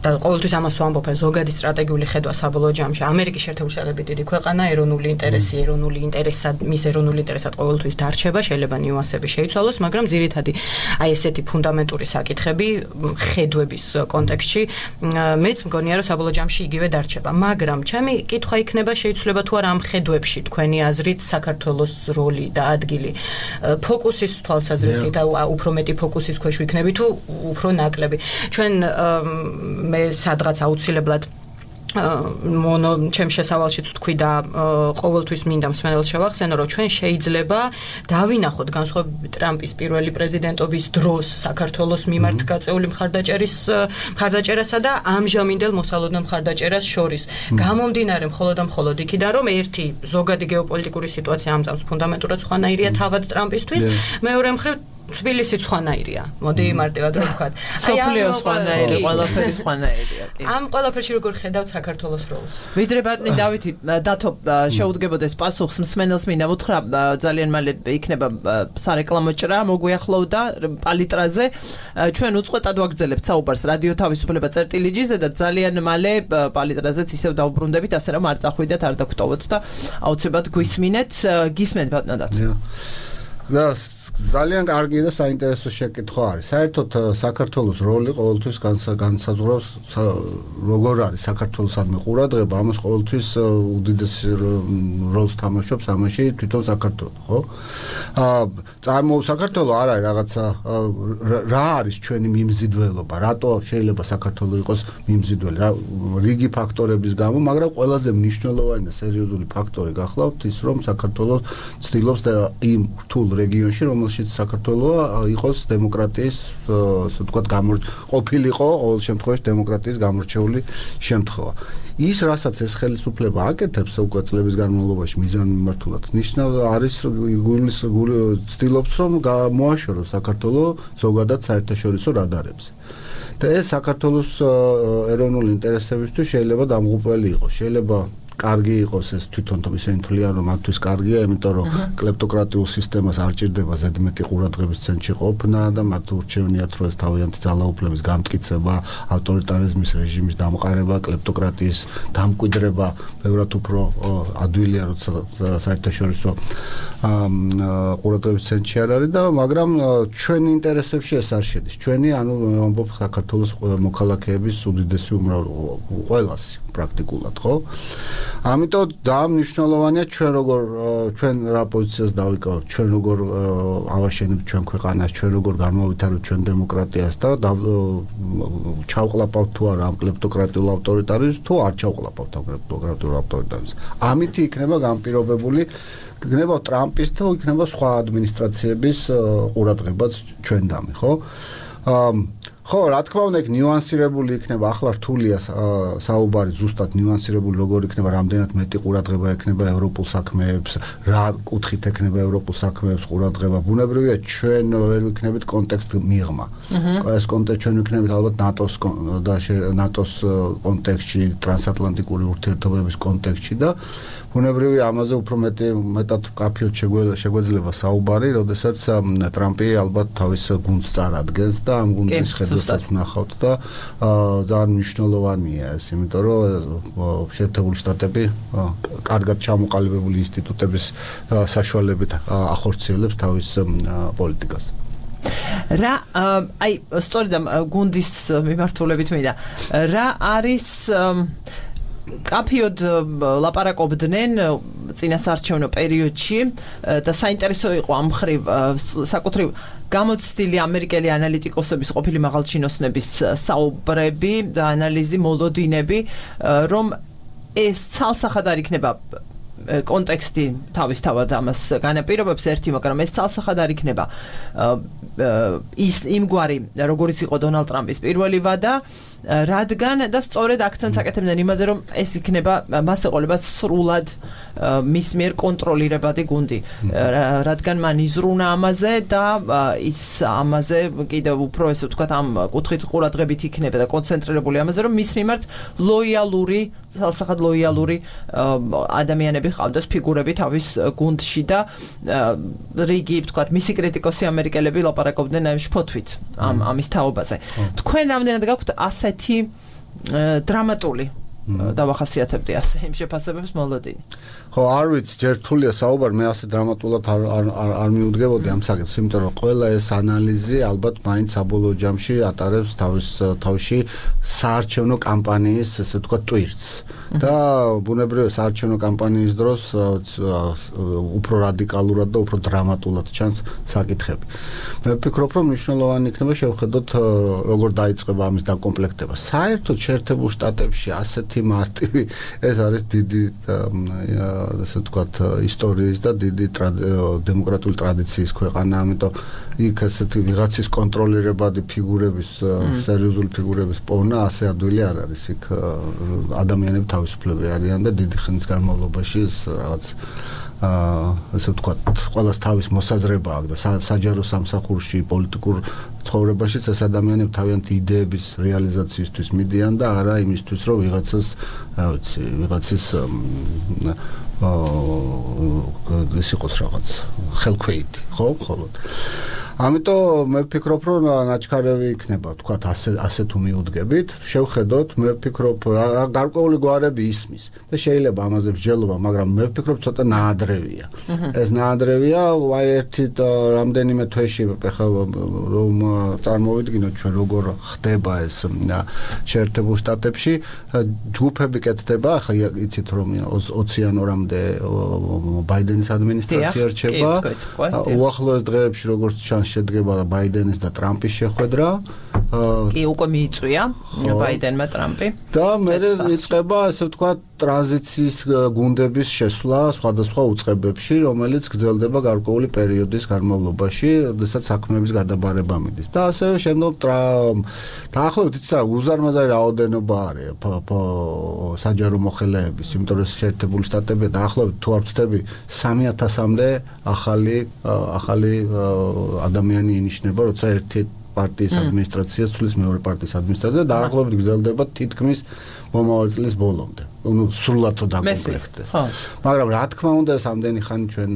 Speaker 2: და ყოველთვის ამას ვამბობ ზოგადი სტრატეგიული ხედვა საბოლოო ჯამში ამერიკის შეერთებული შტატები დიდი ქვეყანა ეროვნული ინტერესი ეროვნული ინტერესად მის ეროვნული ინტერესად ყოველთვის დარჩება შეიძლება ნიუანსები შეიცვალოს მაგრამ ძირითადი აი ესეთი ფუნდამენტური საკითხები ხედვების კონტექსტში მეც მგონია რომ საბოლოო ჯამში იგივე დარჩება მაგრამ ჩემი კითხვა იქნება შეიძლება თუ არა ამ ხედვებში თქვენი აზრით საქართველოს როლი და ადგილი ფოკუსის თვალსაზრისით და უფრო მეტი ფოკუსის ქვეშ ვიქნები თუ უფრო ნაკლები ჩვენ მე სადღაც აუცილებლად მონო ჩემ შესავალშიც თქვი და ყოველთვის მინდა მსმენელს შევახსენო რომ ჩვენ შეიძლება დავინახოთ განსხვავებით ტრამპის პირველი პრეზიდენტობის დროს საქართველოს მიმართ გაწეული მხარდაჭერის მხარდაჭერასა და ამჟამინდელ მოსალოდნელ მხარდაჭერას შორის გამომდინარე მხოლოდ და მხოლოდ იქიდან რომ ერთი ზოგადი გეოპოლიტიკური სიტუაცია ამწამს ფუნდამენტურად სხვანაირია თავად ტრამპისთვის მეორე მხრივ თბილისი სხვანაირია. მოდი მარტივად რო ვქოთ.
Speaker 1: სოფლიო სხვანაირი, ყველაფერი სხვანაირია.
Speaker 2: ამ ყველაფერში როგორ ხედავთ საქართველოს როლს?
Speaker 1: ვიდრე ბატონი დავითი დათო შეუდგებოდეს პასუხს მსმენელს მინდა უთხრა ძალიან მალე იქნება სარეკლამო ჭრა მოგვიახლოვდა პალიტრაზე ჩვენ უწყვეტად ვაგრძელებთ საუბარს რადიო თავისუფლება წერტილიჯიზე და ძალიან მალე პალიტრაზეც ისევ დავბრუნდებით ასე რომ არ წახვიდეთ არ დაგტოვოთ და აუცილებლად გვისმინეთ გისმენთ ბატონო დათო
Speaker 3: და ძალიან კარგი და საინტერესო შეკითხვა არის. საერთოდ საქართველოს როლი ყოველთვის განსაზღვრავს როგორ არის საქართველოსადმი ყურადღება, ამას ყოველთვის უდიდეს როლს თამაშობს ამაში თვითონ საქართველო, ხო? აა წარმო საქართველო არ არის რაღაცა რა არის ჩვენი მიმზიდველობა, რატო შეიძლება საქართველო იყოს მიმზიდველი? რიგი ფაქტორების გამო, მაგრამ ყველაზე მნიშვნელოვანი და სერიოზული ფაქტორი გახლავთ ის, რომ საქართველო ცდილობს და იმ რთულ რეგიონში რომ რომელშიც საქართველო იყოს დემოკრატიის, ასე ვთქვათ, ყოფილიყო ყოველ შემთხვევაში დემოკრატიის გამორჩეული შემთხვევა. ის, რასაც ეს ხელისუფლება აკეთებს უკვე წლების განმავლობაში მიზანმიმართულად, ნიშნავს არის გულის ცდილობს რომ მოაშოროს საქართველო ზოგადად საერთაშორისო რადარებზე. და ეს საქართველოს ეროვნული ინტერესებისთვის შეიძლება დამღუპველი იყოს. შეიძლება კარგი იყოს ეს თვითონ ისინი თვლიან რომ მათთვის კარგია, იმიტომ რომ კლეპტოკრატიულ სისტემას არ ჭირდება ზედმეტი ყურადღების ცენტრში ყოფნა და მათ ურჩევნიათ რომ ეს თავიანთი ძალაუფლების გამტკიცება, ავტორიტარიზმის რეჟიმის დამყარება, კლეპტოკრატიის დამკვიდრება ბევრად უფრო ადვილია, როცა საერთაშორისო ყურადღების ცენტრში არ არის და მაგრამ ჩვენი ინტერესებში ეს არ შედის. ჩვენი ანუ ამბობ საქართველოს მოქალაქეების უდიდესი უმრავლესობა, ყველასი პრაქტიკულად, ხო? ამიტომ ძალიან მნიშვნელოვანია ჩვენ როგორ ჩვენ რა პოზიციას დავიკავებთ, ჩვენ როგორ ავაშენებთ ჩვენ ქვეყანას, ჩვენ როგორ განმავითარებთ ჩვენ დემოკრატიას და ჩავყლაპავთ თუ არა ამ კლეპტოკრატიულ ავტორიტარიზმს, თუ არ ჩავყლაპავთ ამ კლეპტოკრატიულ ავტორიტარიზმს. ამითი იქნება განპირობებული იქნება ტრამპის და იქნება სხვა ადმინისტრაციების ყურადღებაც ჩვენდამი, ხო? ხო, რა თქმა უნდა, იქ ნიუანსირებული იქნება, ახლა რთულია საუბარი ზუსტად ნიუანსირებული როგორ იქნება, რამდენად მეტი ყურადღება ექნება ევროპულ საქმეებს, რა კუთხით ექნება ევროპულ საქმეებს ყურადღება. ბუნებრივია, ჩვენ ვერ ვიქნებით კონტექსტ მიღმა. ეს კონტექსტ ჩვენ ვიქნებით ალბათ ნატოს და ნატოს კონტექსტში, ტრანსატლანტიკური ურთიერთობების კონტექსტში და ბუნებრივია ამაზე უფრო მეტი მეტად კაფიოდ შეგვეძლება საუბარი, როდესაც ტრამპი ალბათ თავის გუნდს წარადგენს და ამ გუნდის ხედვასაც ვნახავთ და ძალიან მნიშვნელოვანია ეს, იმიტომ რომ შეერთებული შტატები კარგად ჩამოყალიბებული ინსტიტუტების საშუალებით ახორციელებს თავის პოლიტიკას.
Speaker 1: რა აი სწორედ გუნდის მიმართულებით მინდა რა არის კაფიოდ ლაპარაკობდნენ წინასაარჩევნო პერიოდში და საინტერესო იყო ამ მხრივ საკუთრივ გამოცდილი ამერიკელი ანალიტიკოსების ყოფილი მაღალჩინოსნების საუბრები და ანალიზი მოლოდინები რომ ეს ცალსახად არ იქნება კონტექსტი თავისთავად ამას განაპირობებს ერთი, მაგრამ ეს ცალსახად არ იქნება ის იმგვარი როგორიც იყო დონალდ ტრამპის პირველი ვადა რადგან და სწორედ აქცენტს აკეთებდნენ იმაზე რომ ეს იქნება მას ეყოლება სრულად მის მიერ კონტროლირებადი გუნდი რადგან მან იზრუნა ამაზე და ის ამაზე კიდევ უფრო ესე ვთქვათ ამ კუთხით ყურადღებით იქნება და კონცენტრირებული ამაზე რომ მის მიმართ ლოიალური ცალსახად ლოიალური ადამიანები ყავდეს ფიგურები თავის გუნდში და რიგი ვთქვათ მისი კრიტიკოსი ამერიკელები ლაპარაკობდნენ ამ შფოთვით ამ ამის თაობაზე თქვენ რამდენად გაქვთ ასეთი დრამატული დავახასიათებდი ასე იმ შეფასებებს მოლოდინი.
Speaker 3: ხო, არ ვიცი, ჯერ რთულია საუბარი, მე ასე დრამატულად არ არ არ მიუდგებოდი ამ საკითხს, იმიტომ რომ ყველა ეს ანალიზი ალბათ მაინც საბოლოო ჯამში ატარებს თავის თავში საარჩევნო კამპანიის, ესე ვთქვათ, ტვირთს. და ბუნებრივია საარჩევნო კამპანიის დროს უფრო რადიკალურად და უფრო დრამატულად ჩანს საკითხები. მე ვფიქრობ, რომ მნიშვნელოვანი იქნება შევხედოთ როგორ დაიწყება ამის დაკომპლექტება. საერთოდ შეერთებულ შტატებში ასეთი მარტივი ეს არის დიდი ასე ვთქვათ ისტორიის და დიდი დემოკრატიული ტრადიციის ქვეყანა, ამიტომ იქ ასეთი ვიღაცის კონტროლირებადი ფიგურების სერიოზული ფიგურების პოვნა ასე ადვილი არ არის. იქ ადამიანები თავისუფლები არიან და დიდი ხნის განმავლობაში რაღაც აა ასე ვთქვათ, ყველას თავის მოსაზრება აქვს და საჯარო სამსახურში, პოლიტიკურ ცხოვრებაშიც ეს ადამიანები თავიანთი იდეების რეალიზაციისთვის მიდიან და არა იმისთვის, რომ ვიღაცას, რა ვიცი, ვიღაცის აა ეს იყოს რაღაც ხელქვეითი, ხო, მხოლოდ. ამიტომ მე ვფიქრობ, რომ ნაჩქარევი იქნება, თქვათ, ასე ასე თუ მიუდგებით, შევხედოთ, მე ვფიქრობ, გარკვეული გვარები ისმის და შეიძლება ამაზე მსჯელობა, მაგრამ მე ვფიქრობ, ცოტა ნაადრევია. ეს ნაადრევია, აი ერთი რამდენიმე თვეში ხა რომ წარმოვიდგინოთ ჩვენ როგორ ხდება ეს შეერთებულ შტატებში, ჯგუფები კეთდება, ხა იცით რომ ოცი იანვრამდე ბაიდენის ადმინისტრაცია რჩება. უახლოეს დღეებში როგორც ჩანს შედგება ბაიდენის და ტრამპის შეხვედრა.
Speaker 1: კი, უკვე მიიწვია ბაიდენმა ტრამპი.
Speaker 3: და მერე იწყება, ასე ვთქვათ, ტრანზიციის გუნდების შესვლა სხვადასხვა უწყებებში, რომელიც გრძელდება გარკვეული პერიოდის განმავლობაში, როდესაც საქმეების გადაბარება მიდის. და ასევე შემდგომ დაახლოებით იცით რა, უზარმაზარი რაოდენობა არის საჯარო მოხელეების, იმიტომ რომ შეერთებული შტატები დაახლოებით თუ არ ვცდები სამი ათასამდე ახალი ახალი ადამიანი ინიშნება, როცა ერთი პარტიის ადმინისტრაცია ცვლის მეორე პარტიის ადმინისტრაცია და დაახლოებით გრძელდება თითქმის მომავალ წლის ბოლომდე. ну სრულად თუ დაკომპლექტდეს. მაგრამ რა თქმა უნდა ეს ამდენი ხანი ჩვენ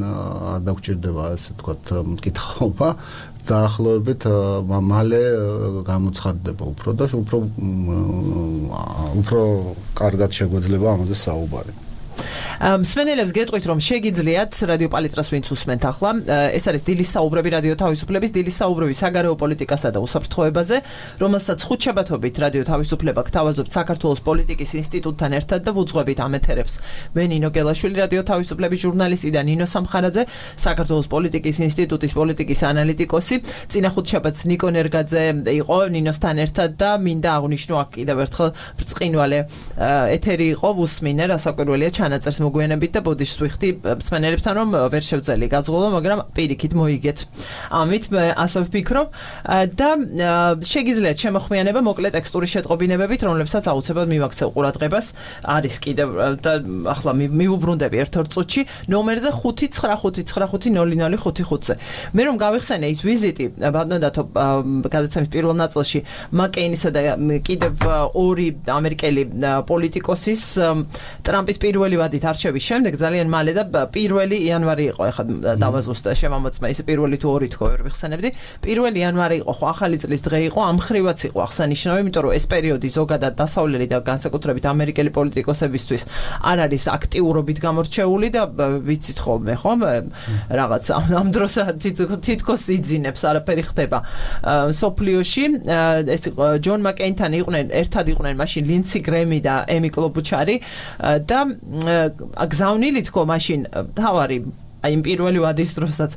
Speaker 3: არ დაგვჭირდება ასე თქვათ მკითხაობა დაახლოებით მალე გამოცხადდება უფრო და უფრო უფრო კარგად შეგვეძლება ამაზე საუბარი.
Speaker 1: მსმენელებს გეტყვით რომ შეგიძლიათ რადიო პალიტრას ვინც უსმენთ ახლა ეს არის დილის საუბრები რადიო თავისუფლების დილის საუბრები საგარეო პოლიტიკასა და უსაფრთხოებაზე რომელსაც ხუთშაბათობით რადიო თავისუფლება გთავაზობთ საქართველოს პოლიტიკის ინსტიტუტთან ერთად და ვუძღვებით ამ ეთერებს მე ნინო გელაშვილი რადიო თავისუფლების ჟურნალისტი და ნინო სამხარაძე საქართველოს პოლიტიკის ინსტიტუტის პოლიტიკის ანალიტიკოსი წინა ხუთშაბათს ნიკო ნერგაძე იყო ნინოსთან ერთად და მინდა აღვნიშნო აქ კიდევ ერთხელ ბრწყინვალე ეთერი იყო უსმინე რასაკვირველია ჩანაწერს მოგვიანებით და ბოდიშს ვიხდი მსმენელებთან რომ ვერ შევძელი გაძღოლო, მაგრამ პირიქით მოიგეთ. ამით მე ასე ვფიქრობ და შეგიძლიათ შემოხმიანება მოკლე ტექსტური შეტყობინებებით, რომლებსაც აუცილებლად მივაქცევ ყურადღებას. არის კიდევ და ახლა მივუბრუნდები ერთ-ორ წუთში ნომერზე ხუთი ცხრა ხუთი ცხრა ხუთი ნული ნული ხუთი ხუთზე. მე რომ გავიხსენე ის ვიზიტი ბატონდათო გადაცემის პირველ ნაწილში მაკეინისა და კიდევ ორი ამერიკელი პოლიტიკოსის ტრამპის პირველი ვადით არჩევის შემდეგ ძალიან მალე და პირველი იანვარი იყო ახლა დავაზუსტე შემამოწმა ის პირველი თუ ორი თქო ვერ ვიხსენებდი პირველი იანვარი იყო ხო ახალი წლის დღე იყო ამ ხრივაც იყო აღსანიშნავი იმიტომ რომ ეს პერიოდი ზოგადად დასავლელი და განსაკუთრებით ამერიკელი პოლიტიკოსებისთვის არ არის აქტიურობით გამორჩეული და ვიცით ხოლმე ხო რაღაც ამ დროს თითქოს იძინებს არაფერი ხდება სოფლიოში ეს ჯონ მაკეინთან იყვნენ ერთად იყვნენ მაშინ ლინცი გრემი და ემი კლობუჩარი და გზავნილი თქო მაშინ თავარი აი იმ პირველი ვადის დროსაც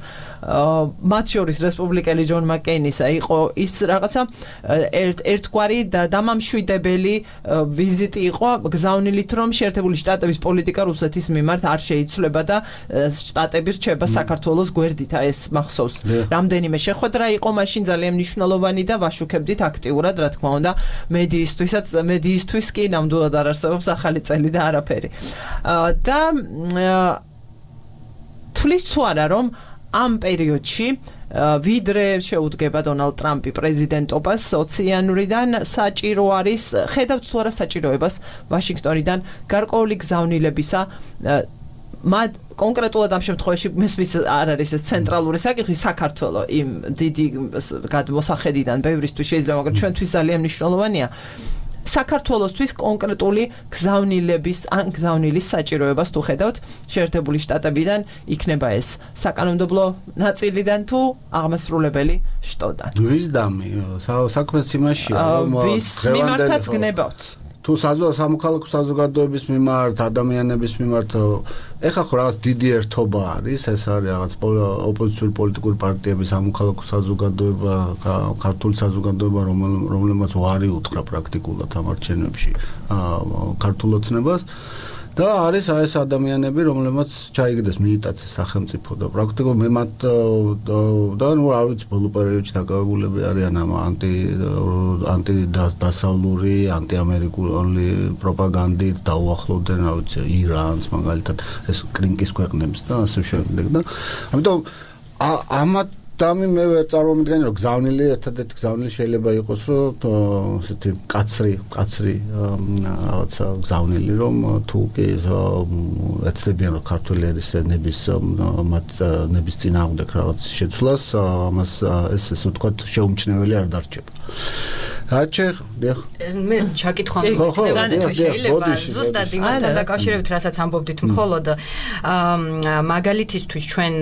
Speaker 1: მათ შორის რესპუბლიკელი ჯონ მაკეინისა იყო ის რაღაცა ერთგვარი დამამშვიდებელი ვიზიტი იყო გზავნილით რომ შეერთებული შტატების პოლიტიკა რუსეთის მიმართ არ შეიცვლება და შტატები რჩება საქართველოს გვერდით აი ეს მახსოვს რამდენიმე შეხვედრა იყო მაშინ ძალიან მნიშვნელოვანი და ვაშუქებდით აქტიურად რა თქმა უნდა მედიისთვისაც მედიისთვის კი ნამდვილად არ არსებობს ახალი წელი და არაფერი და თulis თუ არა რომ ამ პერიოდში ვიდრე შეუდგება დონალდ ტრამპი პრეზიდენტობას ოცი იანვრიდან საჭირო არის ხედავთ თუ არა საჭიროებას ვაშინგტონიდან გარკვეული გზავნილებისა მათ კონკრეტულად ამ შემთხვევაში მესმის არ არის ეს ცენტრალური საკითხი საქართველოს იმ დიდი გადმოსახედიდან ბევრისთვის შეიძლება მაგრამ ჩვენთვის ძალიან მნიშვნელოვანია საქართველოსთვის კონკრეტული გზავნილების ან გზავნილის საჭიროებას თუ ხედავთ შეერთებული შტატებიდან იქნება ეს საკანონმდებლო ნაწილიდან თუ აღმასრულებელი შტოდან
Speaker 3: ვიზდამი საქმეც იმაშია რომ
Speaker 1: ვის მიმართაც გნებავთ
Speaker 3: თუ სამოქალაქო საზოგადოების მიმართ ადამიანების მიმართ ეხა ხო რაღაც დიდი ერთობა არის ეს არის რაღაც ოპოზიციური პოლიტიკური პარტიების სამოქალაქო საზოგადოება ქართული საზოგადოება რომელმაც ვარი უთხრა პრაქტიკულად ამ არჩევნებში ქართულ ოცნებას და არის აი ეს ადამიანები, რომლებმაც ჩაიგდეს მიიტაცეს სახელმწიფო და პრაქტიკულად მე მათ და ნუ არ ვიცი ბოლო პერიოდში დაკავებულები არიან ამ ანტი ანტი დასავლური, ანტიამერიკული პროპაგანდით დაუახლოვდნენ, რა ვიცი, ირანს მაგალითად, ეს კრინკის ქვეყნებს და ასე შემდეგ და ამიტომ ამათ დამი მე ვერ წარმოვიდგენი რომ გზავნილი ერთადერთი გზავნილი შეიძლება იყოს რომ ესეთი კაცრი კაცრი რაღაცა გზავნილი რომ თუ კი ეცდებიან რომ ქართული ერის ნების მათ ნების წინააღმდეგ რაღაც შეცვლას ამას ეს ესე ვთქვათ შეუმჩნეველი არ დარჩება აჩე დიახ
Speaker 2: მე ჩაკითხვა მეკითხება შეიძლება ზუსტად იმასთან დაკავშირებით რასაც ამბობდით მხოლოდ მაგალითისთვის ჩვენ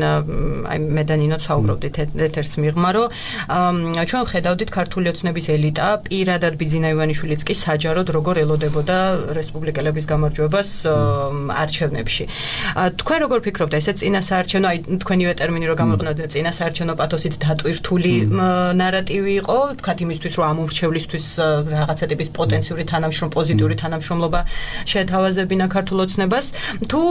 Speaker 2: აი მე და ნინო საუბრობდით ეთერს მიღმა რომ ჩვენ ხედავდით ქართული ოცნების ელიტა პირადად ბიძინა ივანიშვილიც კი საჯაროდ როგორ ელოდებოდა რესპუბლიკელების გამარჯვებას არჩევნებში თქვენ როგორ ფიქრობთ ესე წინასაარჩევნო აი თქვენივე ტერმინი რო გამოიყენოთ წინასაარჩევნო პათოსით დატვირთული ნარატივი იყო თქვათ იმისთვის რომ ამომრჩევლისთვის რაღაცა ტიპის პოტენციური თანამშრომ პოზიტიური თანამშრომლობა შეთავაზებინა ქართულ ოცნებას თუ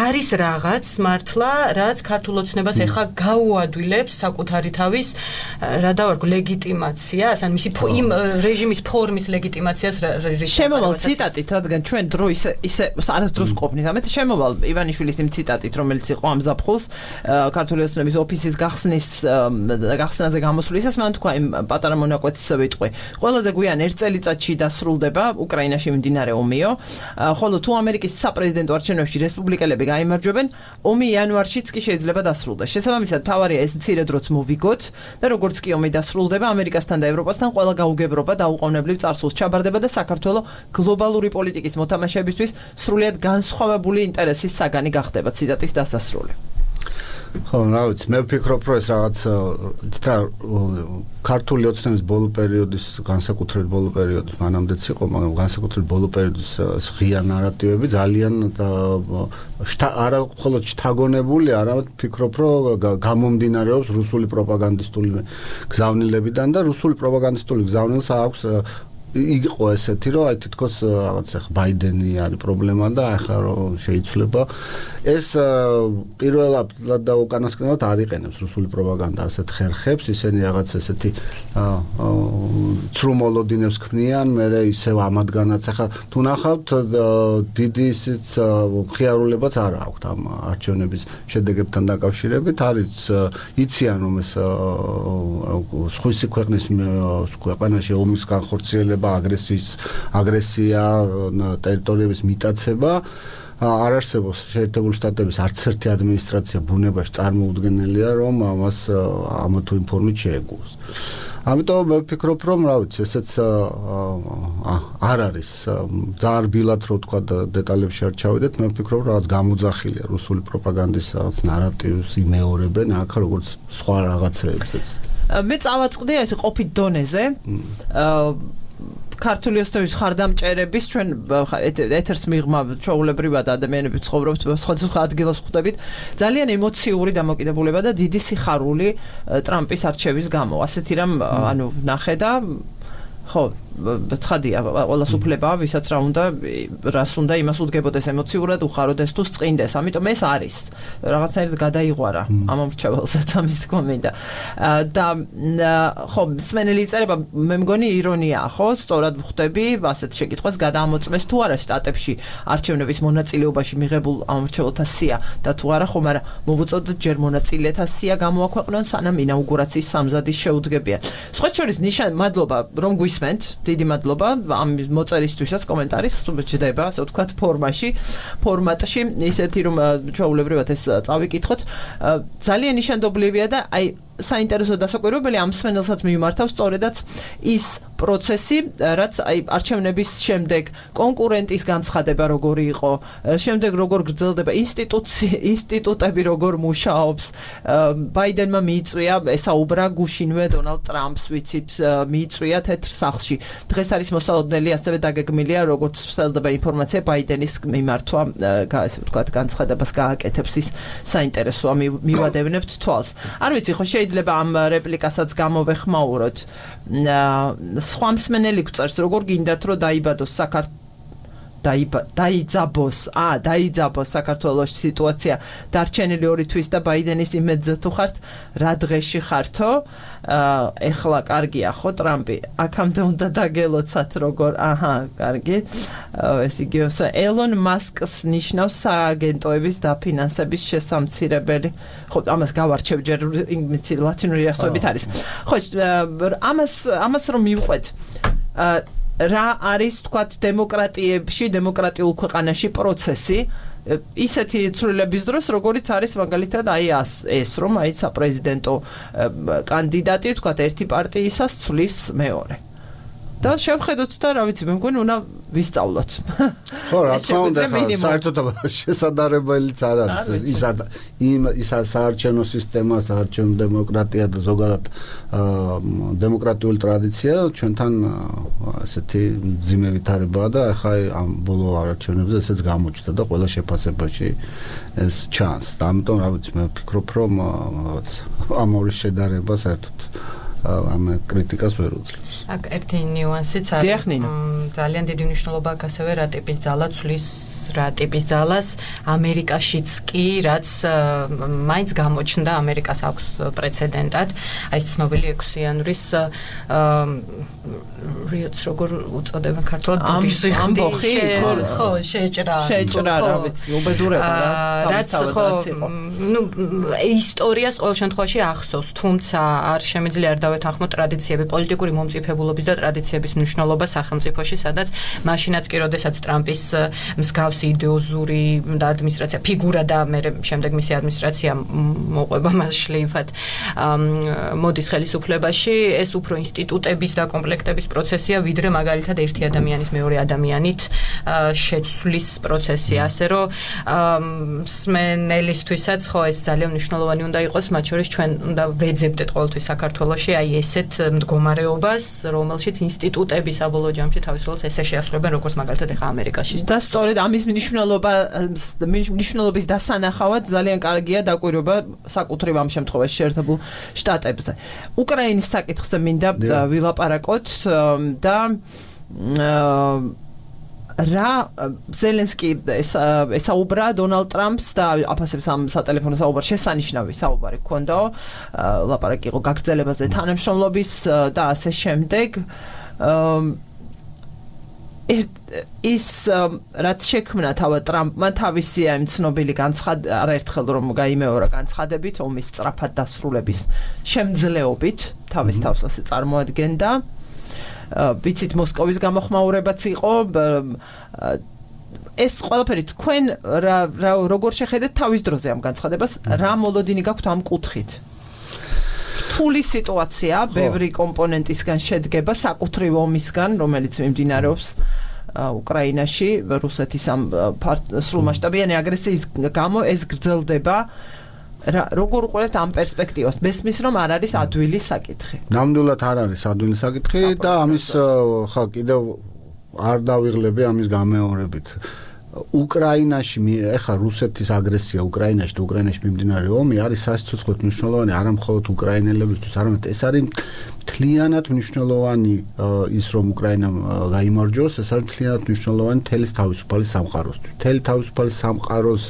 Speaker 2: არის რაღაც მართლა რაც ქართულ ოცნებას ეხა გაუადვილებს საკუთარი თავის რა დავარქო ლეგიტიმაციას ან მისი იმ რეჟიმის ფორმის ლეგიტიმაციას
Speaker 1: შემოვალ ციტატით რადგან ჩვენ დრო ისე ისე არასდროს ყოფნით ამეთ შემოვალ ივანიშვილის იმ ციტატით რომელიც იყო ამ ზაფხულს ქართული ოცნების ოფისის გახსნის გახსნაზე გამოსვლისას მან თქვა იმ პატარა მონაკვეთის ვიტყვი ყველაზე გვიან ერთ წელიწადში დასრულდება უკრაინაში მიმდინარე ომიო ხოლო თუ ამერიკის საპრეზიდენტო არჩევნებში რესპუბლიკელები გაიმარჯვებენ ომი იანვარშიც კი შეიძლება დასრულდეს შესაბამისად თავარია ეს მცირე დროც მოვიგოთ და როგორც კი ომი დასრულდება ამერიკასთან და ევროპასთან ყველა გაუგებრობა დაუყოვნებლივ წარსულს ჩაბარდება და საქართველოს გლობალური პოლიტიკის მოთამაშეებისთვის სრულიად განსხვავებული ინტერესის საგანი გახდება ციტატის დასასრული
Speaker 3: ხო, რა ვიცი, მე ვფიქრობ, რომ ეს რაღაც თითქა ქართული ოცნების ბოლო პერიოდის, განსაკუთრებით ბოლო პერიოდის, მანამდეც იყო, მაგრამ განსაკუთრებით ბოლო პერიოდის ღია ნარატივები ძალიან არა მხოლოდ შთაგონებული, არამედ ვფიქრობ, რომ გამომდინარეობს რუსული პროპაგანდისტული გზავნილებიდან და რუსული პროპაგანდისტული გზავნილს აქვს იყო ესეთი რომ აი თითქოს რაღაც ახ ბაიდენი არის პრობლემა და ახლა რომ შეიცვლება ეს პირველად და უკანასკნელად არ იყენებს რუსული პროპაგანდა ასეთ ხერხებს ისინი რაღაც ესეთი ცრუმოლოდინებს ქმნიან მე ისევ ამათგანაც ახლა თუ ნახავთ დიდი ისიც მხიარულებაც არ აქვს ამ არჩევნების შედეგებთან დაკავშირებით არის იციან რომ ეს სხვისი ქვეყნის ქვეყანაში ომის განხორციელება აგრესიის აგრესია ტერიტორიების მიტაცება არ არსებობს შეერთებული შტატების არც ერთი ადმინისტრაცია ბუნებაში წარმოუდგენელია რომ ამას ამ თუ იმ ფორმით შეეგუოს. ამიტომ მე ვფიქრობ რომ რა ვიცი ესეც არ არის ძალიან რბილად რო თქვა დეტალებში არ ჩავიდეთ მე ვფიქრობ რომ რაღაც გამოძახილია რუსული პროპაგანდის რაღაც ნარატივს იმეორებენ აქ როგორც სხვა რაღაცებსაც.
Speaker 1: მე წავაწყდი ეს ყოფით დონეზე ქართული ოცნების ხარდამჭერების ჩვენ ეთერს მიღმა ჩვეულებრივად ადამიანები ცხოვრობთ სხვადასხვა ადგილას ხვდებით ძალიან ემოციური დამოკიდებულება და დიდი სიხარული ტრამპის არჩევის გამო ასეთი რამ ანუ ნახე და ხო ცხადია ყველას უფლება ვისაც რა უნდა რას უნდა იმას უდგებოდეს ემოციურად უხაროდეს თუ წინდეს ამიტომ ეს არის რაღაცნაირად გადაიღვარა ამ მრჩეველსაც ამის თქმა მინდა და ხო სმენელი წერება მე მგონი ირონიაა ხო სწორად ვხვდები ასეთ შეკითხვას გადაამოწმეს თუ არა შტატებში არჩევნების მონაწილეობაში მიღებულ ამ მრჩეველთა სია და თუ არა ხო მაგრამ მოვუწოდოთ ჯერ მონაწილეთა სია გამოაქვეყნონ სანამ ინაუგურაციის სამზადის შეუდგებიან სხვა შორის ნიშან მადლობა რომ გვისმენთ დიდი მადლობა ამ მოწერისთვისაც კომენტარის ჯდება ასე ვთქვათ ფორმაში ფორმატში ისეთი რომ ჩვეულებრივად ეს წავიკითხოთ ძალიან ნიშანდობლივია და აი საინტერესო დასაკვირვებელი ამ სმენელსაც მიმართავს სწორედაც ის პროცესი რაც აი არჩევნების შემდეგ კონკურენტის განცხადება როგორი იყო შემდეგ როგორ გრძელდება ინსტიტუცი ინსტიტუტები როგორ მუშაობს ბაიდენმა მიიწვია ესაუბრა გუშინვე დონალდ ტრამპს ვიცით მიიწვია თეთრ სახლში დღეს არის მოსალოდნელი ასევე დაგეგმილია როგორც ვსწრდება ინფორმაცია ბაიდენის მიმართვა ასე ვთქვათ განცხადებას გააკეთებს ის საინტერესოა მივადევნებთ თვალს არ ვიცი ხო შეიძლება ამ რეპლიკასაც გამოვეხმაუროთ სხვა მსმენელი გვწერს როგორ გინდათ რომ დაიბადოს საქართველოს დაიძაბოს, ა, დაიძაბოს საქართველოს სიტუაცია დარჩენილი ორი თვის და ბაიდენის იმედზე თუ ხართ, რა დღეში ხართო? ეხლა კარგია ხო ტრამპი? აქამდე უნდა დაგელოცათ როგორ, აჰა, კარგი. ეს იგი ელონ მასკს ნიშნავს სააგენტოების დაფინანსების შესამცირებელი. ხო, ამას გავარჩევ ჯერ ლათინური ასოებით არის. ხო, ამას ამას რომ მივყვეთ რა არის თქვათ დემოკრატიებში, დემოკრატიულ ქვეყანაში პროცესი ისეთი ცვლილების დროს, როგორიც არის მაგალითად აი ეს, რომ აი საპრეზიდენტო კანდიდატი თქვათ ერთი პარტიისას ცვლის მეორე. და შევხედოთ და რა ვიცი, მე მგონი უნდა ვისწავლოთ.
Speaker 3: ხო, რა თქმა უნდა, საერთოდ შესაძლებელიც არ არის ის იმ ის საარჩევნო სისტემა, საარჩევნო დემოკრატია და ზოგადად დემოკრატიული ტრადიცია ჩვენთან ასეთი ძიმე ვითარებაა და ახლა ამ ბოლო არჩევნებზე ესეც გამოჩნდა და ყველა შეფასებაში ეს ჩანს. და ამიტომ რა ვიცი, მე ვფიქრობ, რომ ამ ორი შედარება საერთოდ ამ კრიტიკას ვერ უძლებს.
Speaker 2: აქ ერთი ნიუანსიც არის. ძალიან დიდი მნიშვნელობა აქვს ასევე რა ტიპის ძალა ცვლის რა ტიპის ძალას ამერიკაშიც კი, რაც მაინც გამოჩნდა, ამერიკას აქვს პრეცედენტად, აი ცნობილი ექვსიანურის რიოც როგორ უწოდებენ ქართულად ბუდიზმი
Speaker 1: ამბოხი,
Speaker 2: ხო, შეჭრა.
Speaker 1: შეჭრა, რა ვიცი, უბედურება რა.
Speaker 2: რაც ხო, ნუ ისტორიას ყოველ შემთხვევაში ახსოვს, თუმცა არ შემიძლია არ დავეთანხმოთ ტრადიციები, პოლიტიკური მომწიფებულობის და ტრადიციების მნიშვნელობა სახელმწიფოში, სადაც მაშინაც კი, როდესაც ტრამპის მსგავს იდეოზური და ადმინისტრაცია ფიგურა და მე შემდეგ მისი ადმინისტრაცია მოყვება მას შლეიფად მოდის ხელისუფლებაში, ეს უფრო ინსტიტუტების და კომპლექტების პროცესია, ვიდრე მაგალითად ერთი ადამიანის მეორე ადამიანით შეცვლის პროცესი, ასე რომ მსმენელისთვისაც ხო ეს ძალიან მნიშვნელოვანი უნდა იყოს, მათ შორის ჩვენ უნდა ვეძებდეთ ყოველთვის საქართველოში აი ესეთ მდგომარეობას, რომელშიც ინსტიტუტები საბოლოო ჯამში თავის როლს ესე შეასრულებენ, როგორც მაგალითად ახლა ამერიკაში.
Speaker 1: და სწორედ ამის მნიშვნელობა მნიშვნელობის დასანახავად ძალიან კარგია დაკვირვება საკუთრივ ამ შემთხვევაში შეერთებულ შტატებზე. უკრაინის საკითხზე მინდა ვილაპარაკოთ და რა ზელენსკი ესაუბრა დონალდ ტრამპს და აფასებს ამ სატელეფონო საუბარს, შესანიშნავი საუბარი ჰქონდაო, ლაპარაკი იყო გაგრძელებაზე თანამშრომლობის და ასე შემდეგ. ის რაც შექმნა თავად ტრამპმა თავისი ამ ცნობილი განცხადი არაერთხელ რომ გაიმეორა განცხადებით ომის სწრაფად დასრულების შემძლეობით თავის თავს ასე წარმოადგენდა. ვიცით მოსკოვის გამოხმაურებაც იყო. ეს ყველაფერი თქვენ როგორ შეხედეთ თავის დროზე ამ განცხადებას, რა მოლოდინი გაქვთ ამ კუთხით? რთული სიტუაცია, ბევრი კომპონენტისგან შედგება, საკუთრივ ომისგან, რომელიც მიმდინარეობს უკრაინაში, რუსეთის ამ სრულმასშტაბიანი აგრესიის გამო ეს გრძელდება. როგორ უყურებთ ამ პერსპექტივას? მესმის რომ არ არის ადვილი საკითხი.
Speaker 3: ნამდვილად არ არის ადვილი საკითხი და ამის ხა კიდევ არ დავიღლები ამის გამეორებით. უკრაინაში ეხა რუსეთის აგრესია უკრაინაში და უკრაინაში მიმდინარე ომი არის სასიცოცხლოდ მნიშვნელოვანი არა მხოლოდ უკრაინელებისთვის, არამედ ეს არის მთლიანად მნიშვნელოვანი ის რომ უკრაინამ გაიმარჯვოს, ეს არის მთლიანად მნიშვნელოვანი თელის თავისუფალი სამყაროსთვის. თელი თავისუფალი სამყაროს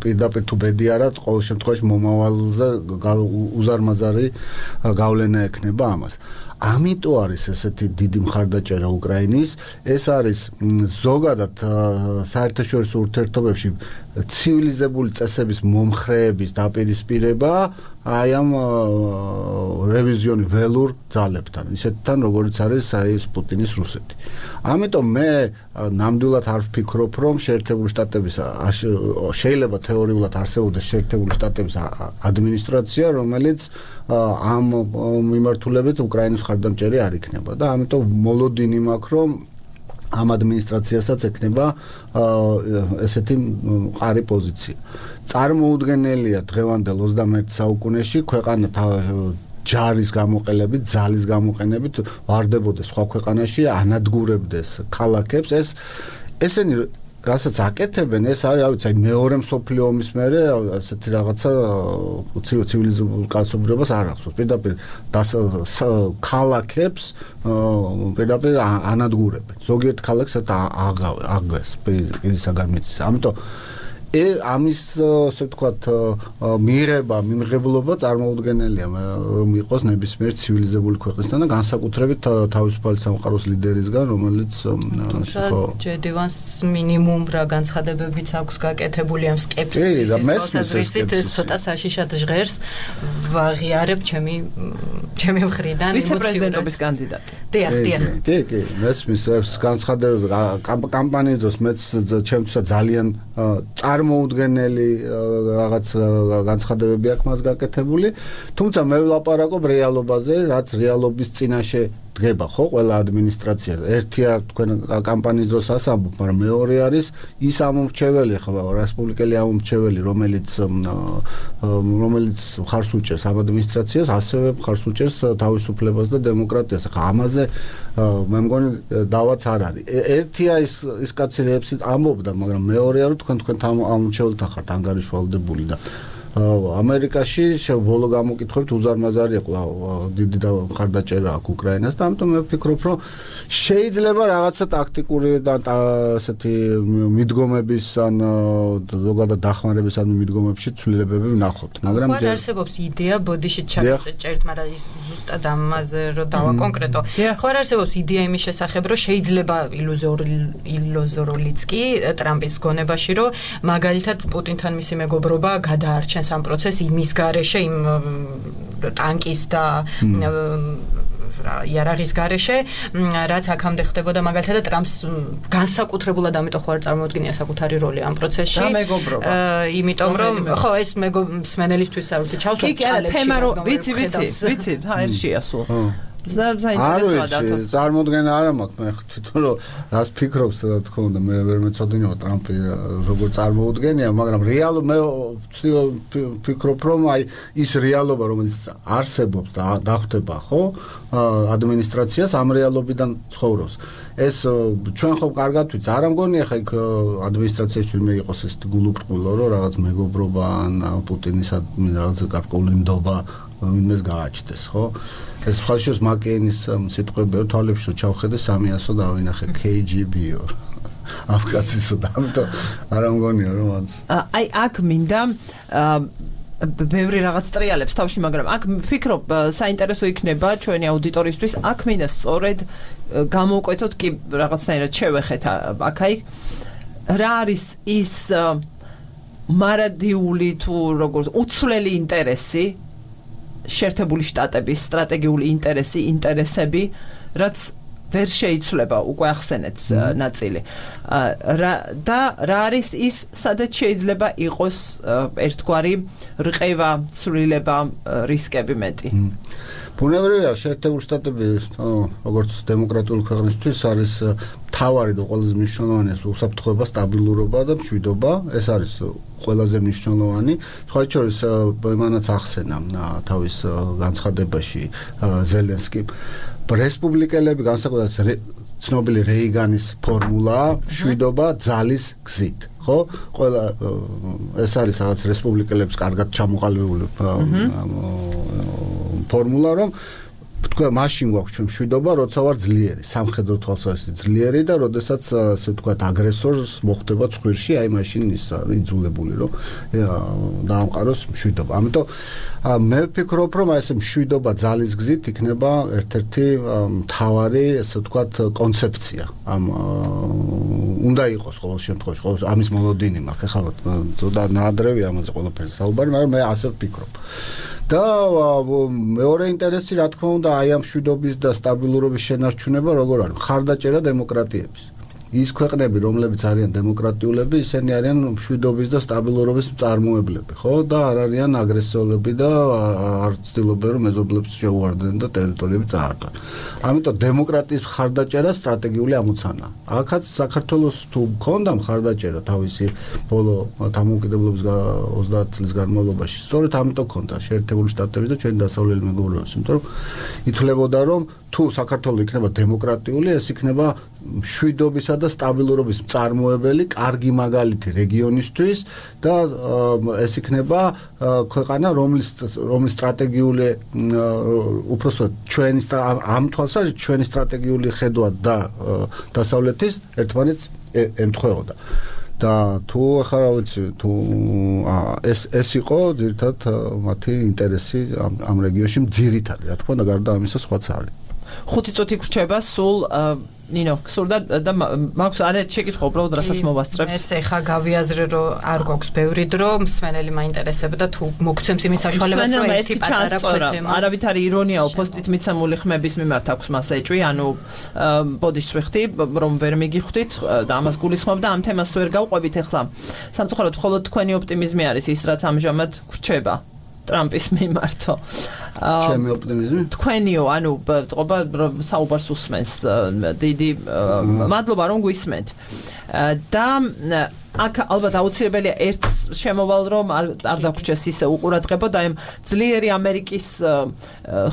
Speaker 3: პირდაპირ თუ ბედი არა, ყოველ შემთხვევაში მომავალზე უზარმაზარი გავლენა ექნება ამას. ამიტომ არის ესეთი დიდი მხარდაჭერა უკრაინის, ეს არის ზოგადად საერთაშორისო ურთიერთობებში ცივილიზებული წესების მომხრეების დაპირისპირება აი ამ რევიზიონი ველურ ძალებთან, ისეთთან როგორც არის აი ეს პუტინის რუსეთი. ამიტომ მე ნამდვილად არ ვფიქრობ, რომ შეერთებული შტატების შეიძლება თეორიულად არსებობდეს შეერთებული შტატების ადმინისტრაცია, რომელიც ამ მიმართულებით უკრაინის მხარდამჭერი არ იქნება და ამიტომ მოლოდინი მაქვს, რომ ამ ადმინისტრაციასაც ექნება ესეთი მყარი პოზიცია. წარმოუდგენელია დღევანდელ ოცდამეერთე საუკუნეში ქვეყანა ჯარის გამოყენებით, ძალის გამოყენებით ვარდებოდეს სხვა ქვეყანაში, ანადგურებდეს ქალაქებს. ეს ესენი რასაც აკეთებენ, ეს არის, რა ვიცი, აი მეორე მსოფლიო ომის მერე ასეთი რაღაცა ცივილიზებულ კაცობრიობას არ ახსოვს. პირდაპირ ქალაქებს პირდაპირ ანადგურებენ. ზოგიერთ ქალაქს აღგეს პირისაგან მიწის. ამიტომ ამის ასე ვთქვათ მიღება, მიმღებლობა წარმოუდგენელია რომ იყოს ნებისმიერ ცივილიზებული ქვეყნისგან და განსაკუთრებით თავისუფალი სამყაროს ლიდერისგან, რომელიც
Speaker 2: ხო ჯედივანს მინიმუმ რა განცხადებებიც აქვს გაკეთებული ამ სკეპსისის მოსაზრისით ცოტა საშიშად ჟღერს ვაღიარებ ჩემი ჩემი მხრიდან
Speaker 1: ვიცე-პრეზიდენტობის კანდიდატი.
Speaker 2: დიახ, დიახ.
Speaker 3: კი, კი, მესმის განცხადებები კამპანიის დროს მეც ჩემთვის ძალიან წარმოუდგენელი რაღაც განცხადებები აქვს მას გაკეთებული, თუმცა მე ვლაპარაკობ რეალობაზე, რაც რეალობის წინაშე დგება, ხო, ყველა ადმინისტრაცია. ერთია თქვენ კამპანიის დროს ასამბობ, მაგრამ მეორე არის ის ამომრჩეველი, ხო, რესპუბლიკელი ამომრჩეველი, რომელიც რომელიც მხარს უჭერს ამ ადმინისტრაციას, ასევე მხარს უჭერს თავისუფლებას და დემოკრატიას. ხა ამაზე მე მგონი დავაც არ არის. ერთია ის ის კაცი რეპსით ამბობდა, მაგრამ მეორეა რომ თქვენ თქვენ ამომრჩეველთან ხართ ანგარიშვალდებული და ამერიკაში ბოლო გამოკითხვებით უზარმაზარია დიდი და მხარდაჭერა აქვს უკრაინას და ამიტომ მე ვფიქრობ რომ შეიძლება რაღაცა ტაქტიკური და ასეთი მიდგომების ან ზოგადად დახმარების ან მიდგომებში ცვლილებები ვნახოთ მაგრამ
Speaker 2: ხარ არსებობს იდეა ბოდიშით ჩაგწერთ მაგრამ ის ზუსტად ამაზე რომ დავაკონკრეტო ხარ არსებობს იდეა იმის შესახებ რომ შეიძლება ილუზორულიც კი ტრამპის გონებაში რომ მაგალითად პუტინთან მისი მეგობრობა გადაარჩენ ამ პროცესს იმის გარეშე იმ ტანკის და იარაღის გარეშე რაც აქამდე ხდებოდა მაგალითად ტრამპს განსაკუთრებულად ამიტომ ხო არ წარმოუდგენია საკუთარი როლი ამ პროცესში იმიტომ რომ ხო ეს მსმენელისთვის არ ვიცი ჩავსვათ
Speaker 1: ჩალებში კი თემა რომ ვიცი ვიცი ვიცი ჰაერშია სულ
Speaker 3: არ ვიცი, წარმოდგენა არ მაქვს მე თვითონ რომ რას ფიქრობს და თქო უნდა მე ვერ მეცოდინეო ტრამპი როგორ წარმოუდგენია, მაგრამ რეალო მე ვფიქრობ რომ აი ის რეალობა რომელიც არსებობს და დახვდება ხო ადმინისტრაციას ამ რეალობიდან ცხოვრობს. ეს ჩვენ ხომ კარგად ვიცი, არ მგონია ხა იქ ადმინისტრაციაში თვითონ იყოს ეს გულუბრყვილო რომ რაღაც მეგობრობა ან პუტინის რაღაც გარკვეული ნდობა იმეს გააჩნდეს, ხო? ეს ხალხის მაკეინის სიტყვები რომ თვალებში ჩავხედე სამიასო დავინახე კეი ჯი ბი-ო ამ კაცისო და ამიტომ არ მგონია რომ მას
Speaker 1: აი აქ მინდა ბევრი რაღაც ტრიალებს თავში, მაგრამ აქ ვფიქრობ საინტერესო იქნება ჩვენი აუდიტორისთვის, აქ მინდა სწორედ გამოვკვეთოთ კი რაღაცნაირად შევეხეთ აქ-აი რა არის ის მარადიული თუ როგორც უცვლელი ინტერესი შეერთებული შტატების სტრატეგიული ინტერესი, ინტერესები, რაც ვერ შეიცვლება, უკვე ახსენეთ ნაწილი. და რა არის ის, სადაც შეიძლება იყოს ერთგვარი რყევა, ცვლილება, რისკები მეტი.
Speaker 3: ბუნებრივია, შეერთებული შტატები, როგორც დემოკრატიული ქვეყნისთვის არის მთავარი და ყველაზე მნიშვნელოვანი უსაფრთხოება, სტაბილურობა და მშვიდობა. ეს არის ყველაზე მნიშვნელოვანი. სხვა შორის მანაც ახსენა თავის განცხადებაში ზელენსკი. რესპუბლიკელები განსაკუთრებით ცნობილი რეიგანის ფორმულაა მშვიდობა ძალის გზით. ხო? ყველა ეს არის რაღაც რესპუბლიკელებს კარგად ჩამოყალიბებული ფორმულა, რომ თქვა მაშინ გვაქვს ჩვენ მშვიდობა, როცა ვარ ძლიერი, სამხედრო თვალსაზრისით ძლიერი და როდესაც ასე ვთქვათ აგრესორს მოხდება ცხვირში, აი მაშინ ის არის იძულებული, რომ დაამყაროს მშვიდობა. ამიტომ მე ვფიქრობ, რომ აი ეს მშვიდობა ძალის გზით იქნება ერთ-ერთი მთავარი, ასე ვთქვათ, კონცეფცია. ამ უნდა იყოს ყოველ შემთხვევაში, ყოველ ამის მოლოდინი მაქვს, ეხლა ცოტა ნაადრევია ამაზე ყველაფერზე საუბარი, მაგრამ მე ასე ვფიქრობ. და მეორე ინტერესი რა თქმა უნდა აი ამ მშვიდობის და სტაბილურობის შენარჩუნება როგორ არის მხარდაჭერა დემოკრატიების ის ქვეყნები რომლებიც არიან დემოკრატიულები ისინი არიან მშვიდობის და სტაბილურობის მწარმოებლები ხო და არ არიან აგრესორები და არ ცდილობენ რომ მეზობლებს შეუვარდნენ და ტერიტორიები წაართვან ამიტომ დემოკრატიის მხარდაჭერა სტრატეგიული ამოცანაა აქაც საქართველოს თუ მქონდა მხარდაჭერა თავისი ბოლო დამოუკიდებლობის ოცდაათ წლის განმავლობაში სწორედ ამიტომ მქონდა შეერთებული შტატები და ჩვენი დასავლელი მეგობრებიც იმიტომ რომ ითვლებოდა რომ თუ საქართველო იქნება დემოკრატიული, ეს იქნება მშვიდობისა და სტაბილურობის მწარმოებელი, კარგი მაგალითი რეგიონისთვის და ეს იქნება ქვეყანა, რომლის რომლის სტრატეგიული უпроსტოდ ჩვენი ამ თვალსაზრისით ჩვენი სტრატეგიული ხედვა და დასავლეთის ერთმანეთს ემთხვეოდა. და თუ ახლა რა ვიცი, თუ ეს ეს იყო ძირითადად მათი ინტერესი ამ რეგიონში ძირითადი, რა თქმა უნდა, გარდა ამისა სხვაც არის.
Speaker 1: ხუთი წუთი გრჩება სულ ნინო, გსურდა და მაქვს არაერთ შეკითხვა უბრალოდ რასაც მოვასწრებთ.
Speaker 2: მეც ეხა გავიაზრე რომ არ გვაქვს ბევრი დრო, მსმენელი მაინტერესებდა თუ მოგცემს იმის საშუალებას რომ ერთი პატარა ქვეთემა.
Speaker 1: არავითარი ირონიაო პოსტით მიცემული ხმების მიმართ აქვს მას ეჭვი, ანუ ბოდიშს ვიხდი, რომ ვერ მიგიხვდით და ამას გულისხმობ და ამ თემას ვერ გავყვებით ახლა. სამწუხაროდ მხოლოდ თქვენი ოპტიმიზმი არის ის, რაც ამჟამად გრჩება ტრამპის მიმართო.
Speaker 3: ჩემი ოპტიმიზმი?
Speaker 1: თქვენიო, ანუ ტყობა საუბარს უსმენს. დიდი მადლობა რომ გვისმენთ. და აქ ალბათ აუცილებელია ერთ შემოვალ რომ არ დაგვრჩეს ისე უყურადღებო და იმ ძლიერი ამერიკის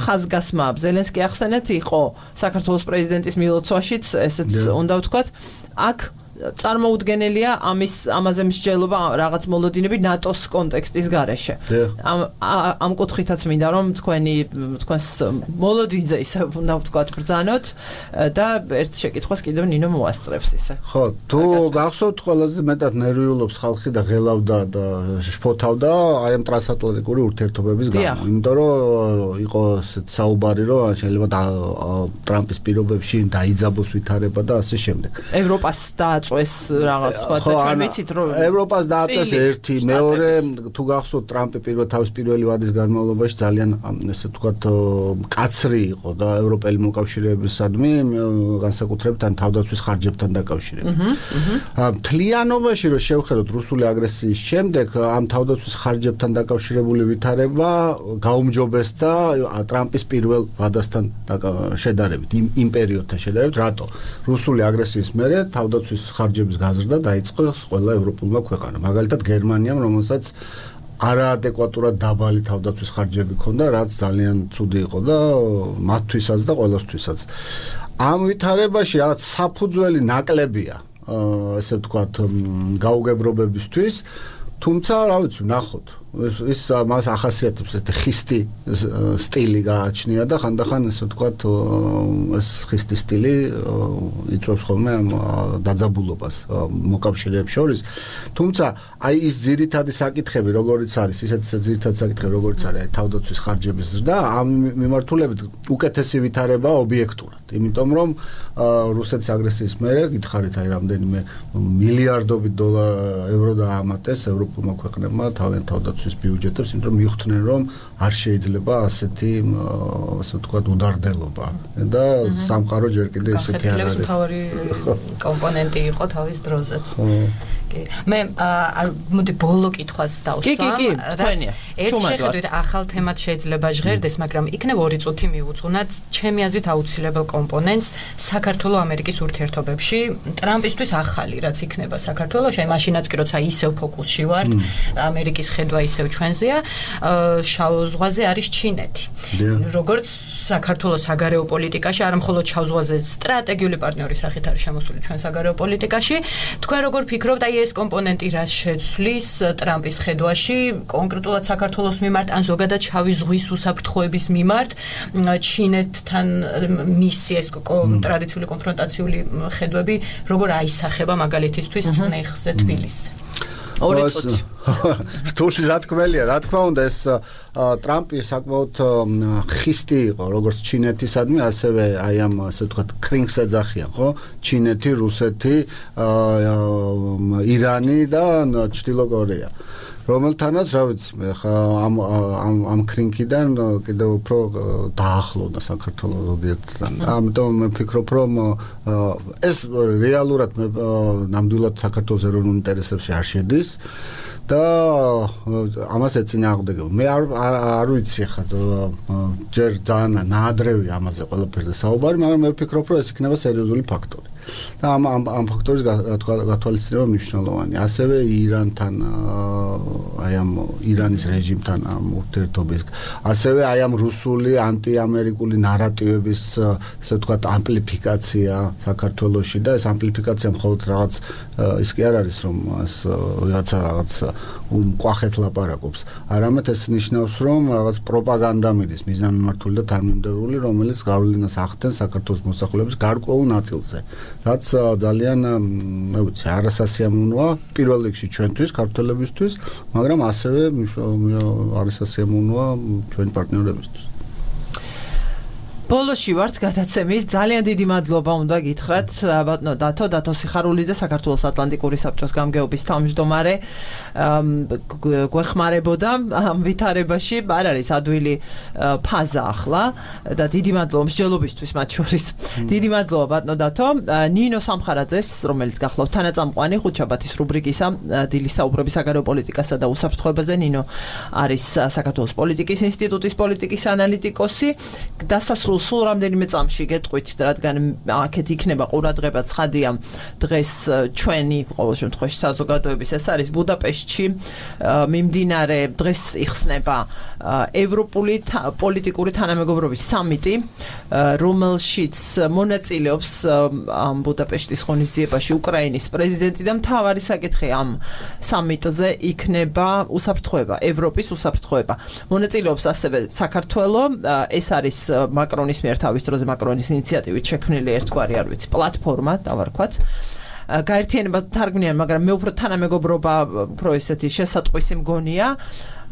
Speaker 1: ხაზგასმა ზელენსკი ახსენეთ იყო საქართველოს პრეზიდენტის მილოცვაშიც, ესეც უნდა ვთქვათ. აქ წარმოუდგენელია ამის ამაზე მსჯელობა რაღაც მოლოდინები ნატოს კონტექსტის გარეშე. ამ ამ კუთხითაც მინდა რომ თქვენი თქვენს მოლოდინზე ისე უნდა ვთქვათ ბრძანოთ და ერთ შეკითხვას კიდევ ნინო მოასწრებს ისე.
Speaker 3: ხო, თუ გახსოვთ ყველაზე მეტად ნერვიულობს ხალხი და ღელავდა და შფოთავდა აი ამ ტრანსატლანტიკური ურთიერთობების გამო. იმიტომ რომ იყო საუბარი რომ შეიძლება ტრამპის პირობებში დაიძაბოს ვითარება და ასე შემდეგ.
Speaker 1: ევროპას და ეს რაღაც თქვა და ჩვენ ვიცით რომ
Speaker 3: ევროპას დააწეს ერთი, მეორე თუ გახსოვთ ტრამპი პირველ თავის პირველი ვადის განმავლობაში ძალიან ესე ვთქვათ კაცრი იყო და ევროპელი მოკავშირეებისადმი განსაკუთრებით ან თავდაცვის ხარჯებთან დაკავშირებით. მთლიანობაში რომ შევხედოთ რუსული აგრესიის შემდეგ ამ თავდაცვის ხარჯებთან დაკავშირებული ვითარება გაუმჯობესდა ტრამპის პირველ ვადასთან შედარებით, იმ პერიოდთან შედარებით, რატო? რუსული აგრესიის მერე თავდაცვის ხარჯების გაზრდა დაიწყო ყველა ევროპულმა ქვეყანამ. მაგალითად გერმანიამ, რომელსაც არაადეკვატურად დაბალი თავდაცვის ხარჯები ჰქონდა, რაც ძალიან ცუდი იყო და მათთვისაც და ყველასთვისაც. ამ ვითარებაში რაღაც საფუძველი ნაკლებია, ესე ვთქვათ, გაუგებრობებისთვის, თუმცა, რა ვიცი, ნახოთ. ის მას ახასიათებს ეს ხისტი სტილი გააჩნია და ხანდახან ესე ვთქვათ ეს ხისტი სტილი იწვევს ხოლმე ამ დაძაბულობას მოკავშირეებს შორის. თუმცა აი ის ძირითადი საკითხები როგორიც არის, ისეთ ძირითადი საკითხები როგორიც არის აი თავდაცვის ხარჯების ზრდა, ამ მიმართულებით უკეთესი ვითარება ობიექტურად. იმიტომ რომ რუსეთის აგრესიის მერე გითხარით აი რამდენიმე მილიარდობით ევრო დაამატეს ევროპულმა ქვეყნებმა თავიანთ თავდაცვის ბიუჯეტებს, იმიტომ რომ მიხვდნენ რომ არ შეიძლება ასეთი ასე ვთქვათ უდარდელობა და სამყარო ჯერ კიდე ისეთი არ არის.
Speaker 2: მთავარი კომპონენტი იყო თავის დროზეც. მე მოდი ბოლო კითხვას დავსვამ.
Speaker 1: კი, კი, თქვენია.
Speaker 2: ერთ შეხედვით ახალ თემად შეიძლება ჟღერდეს, მაგრამ იქნებ ორი წუთი მივუძღვნათ ჩემი აზრით აუცილებელ კომპონენტს საქართველოს ამერიკის ურთიერთობებში. ტრამპისთვის ახალი რაც იქნება საქართველოში, აი მაშინაც კი როცა ისევ ფოკუსში ვართ, ამერიკის ხედვა ისევ ჩვენზეა, შავ ზღვაზე არის ჩინეთი. როგორც საქართველოს საგარეო პოლიტიკაში, არა მხოლოდ შავ ზღვაზე სტრატეგიული პარტნიორის სახით არის შემოსული ჩვენ საგარეო პოლიტიკაში. თქვენ როგორ ფიქრობთ, აი ეს კომპონენტი რას შეცვლის ტრამპის ხედვაში, კონკრეტულად საქართველოს მიმართ, ან ზოგადად შავი ზღვის უსაფრთხოების მიმართ, ჩინეთთან მისი ეს ტრადიციული კონფრონტაციული ხედვები როგორ აისახება მაგალითისთვის წნეხზე თბილისზე?
Speaker 1: ორი წუთი.
Speaker 3: რთული სათქმელია, რა თქმა უნდა, ეს ტრამპი საკმაოდ ხისტი იყო, როგორც ჩინეთისადმი, ასევე აი ამ ასე ვთქვათ კრინგს ეძახიან, ხო? ჩინეთი, რუსეთი, ირანი და ჩრდილო კორეა. რომელთანაც, რა ვიცი, ამ ამ ამ კრინგიდან კიდევ უფრო დაახლოვდა საქართველოს ობიექტთან. ამიტომ მე ვფიქრობ, რომ ეს რეალურად ნამდვილად საქართველოს ეროვნულ ინტერესებში არ შედის. და ამას ეწინააღმდეგება. მე არ არ ვიცი ხა ჯერ ძალიან ნაადრევი ამაზე ყველაფერზე საუბარი, მაგრამ მე ვფიქრობ, რომ ეს იქნება სერიოზული ფაქტორი. და ამ ამ ფაქტორის გათვალისწინება მნიშვნელოვანია. ასევე ირანთან აი ამ ირანის რეჟიმთან ამ ურთიერთობის, ასევე აი ამ რუსული ანტიამერიკული ნარატივების ასე ვთქვათ ამპლიფიკაცია საქართველოში და ეს ამპლიფიკაცია მხოლოდ რაღაც ის კი არ არის რომ ეს რაღაცა რაღაც მკვახეთ ლაპარაკობს. არამედ ეს ნიშნავს რომ რაღაც პროპაგანდა მიდის მიზანმიმართული და თანმიმდევრული, რომელიც გავლენას ახდენს საქართველოს მოსახლეობის გარკვეულ ნაწილზე. რაც ძალიან მე ვიცი არასასიამოვნოა პირველ რიგში ჩვენთვის, ქართველებისთვის, მაგრამ ასევე არასასიამოვნოა ჩვენი პარტნიორებისთვის.
Speaker 1: ბოლოში ვართ გადაცემის. ძალიან დიდი მადლობა უნდა გითხრათ ბატონო დათო, დათო სიხარულიძე, საქართველოს ატლანტიკური საბჭოს გამგეობის თავმჯდომარე. გვეხმარებოდა ამ ვითარებაში, არ არის ადვილი ფაზა ახლა და დიდი მადლობა მსჯელობისთვის მათ შორის. დიდი მადლობა ბატონო დათო. ნინო სამხარაძეს, რომელიც გახლავთ თანაწამყვანი ხუთშაბათის რუბრიკისა დილის საუბრების საგარეო პოლიტიკასა და უსაფრთხოებაზე. ნინო არის საქართველოს პოლიტიკის ინსტიტუტის პოლიტიკის ანალიტიკოსი. დასასრულ სულ რამდენიმე წამში გეტყვით, რადგან აქეთ იქნება ყურადღება ცხადია დღეს ჩვენი ყოველ შემთხვევაში საზოგადოების ეს არის ბუდაპეშტში მიმდინარე დღეს იხსნება ევროპული პოლიტიკური თანამეგობრობის სამიტი, რომელშიც მონაწილეობს ამ ბუდაპეშტის ღონისძიებაში უკრაინის პრეზიდენტი და მთავარი საკითხი ამ სამიტზე იქნება უსაფრთხოება, ევროპის უსაფრთხოება. მონაწილეობს ასევე საქართველო, ეს არის მაკრონის მიერ თავის დროზე მაკრონის ინიციატივით შექმნილი ერთგვარი არ ვიცი პლატფორმა დავარქვათ. გაერთიანება თარგმნიან, მაგრამ მე უფრო თანამეგობრობა უფრო ესეთი შესატყვისი მგონია.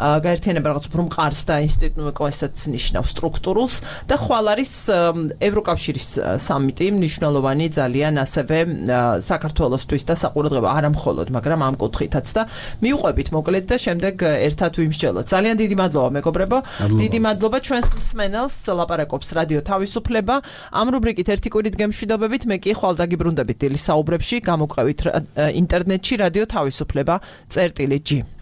Speaker 1: გაერთიანება რაღაც უფრო მყარს და ინსტიტუტო ესეც ნიშნავს სტრუქტურულს და ხვალ არის ევროკავშირის სამიტი მნიშვნელოვანი ძალიან ასევე საქართველოსთვის და საყურადღება არა მხოლოდ, მაგრამ ამ კუთხითაც და მიუყვებით მოკლედ და შემდეგ ერთად ვიმსჯელოთ. ძალიან დიდი მადლობა მეგობრებო. დიდი მადლობა ჩვენს მსმენელს, ლაპარაკობს რადიო თავისუფლება. ამ რუბრიკით ერთი კვირით გემშვიდობებით, მე კი ხვალ დაგიბრუნდებით დილის საუბრებში, გამოყევით ინტერნეტში რადიო თავისუფლება წერტილი ჯი.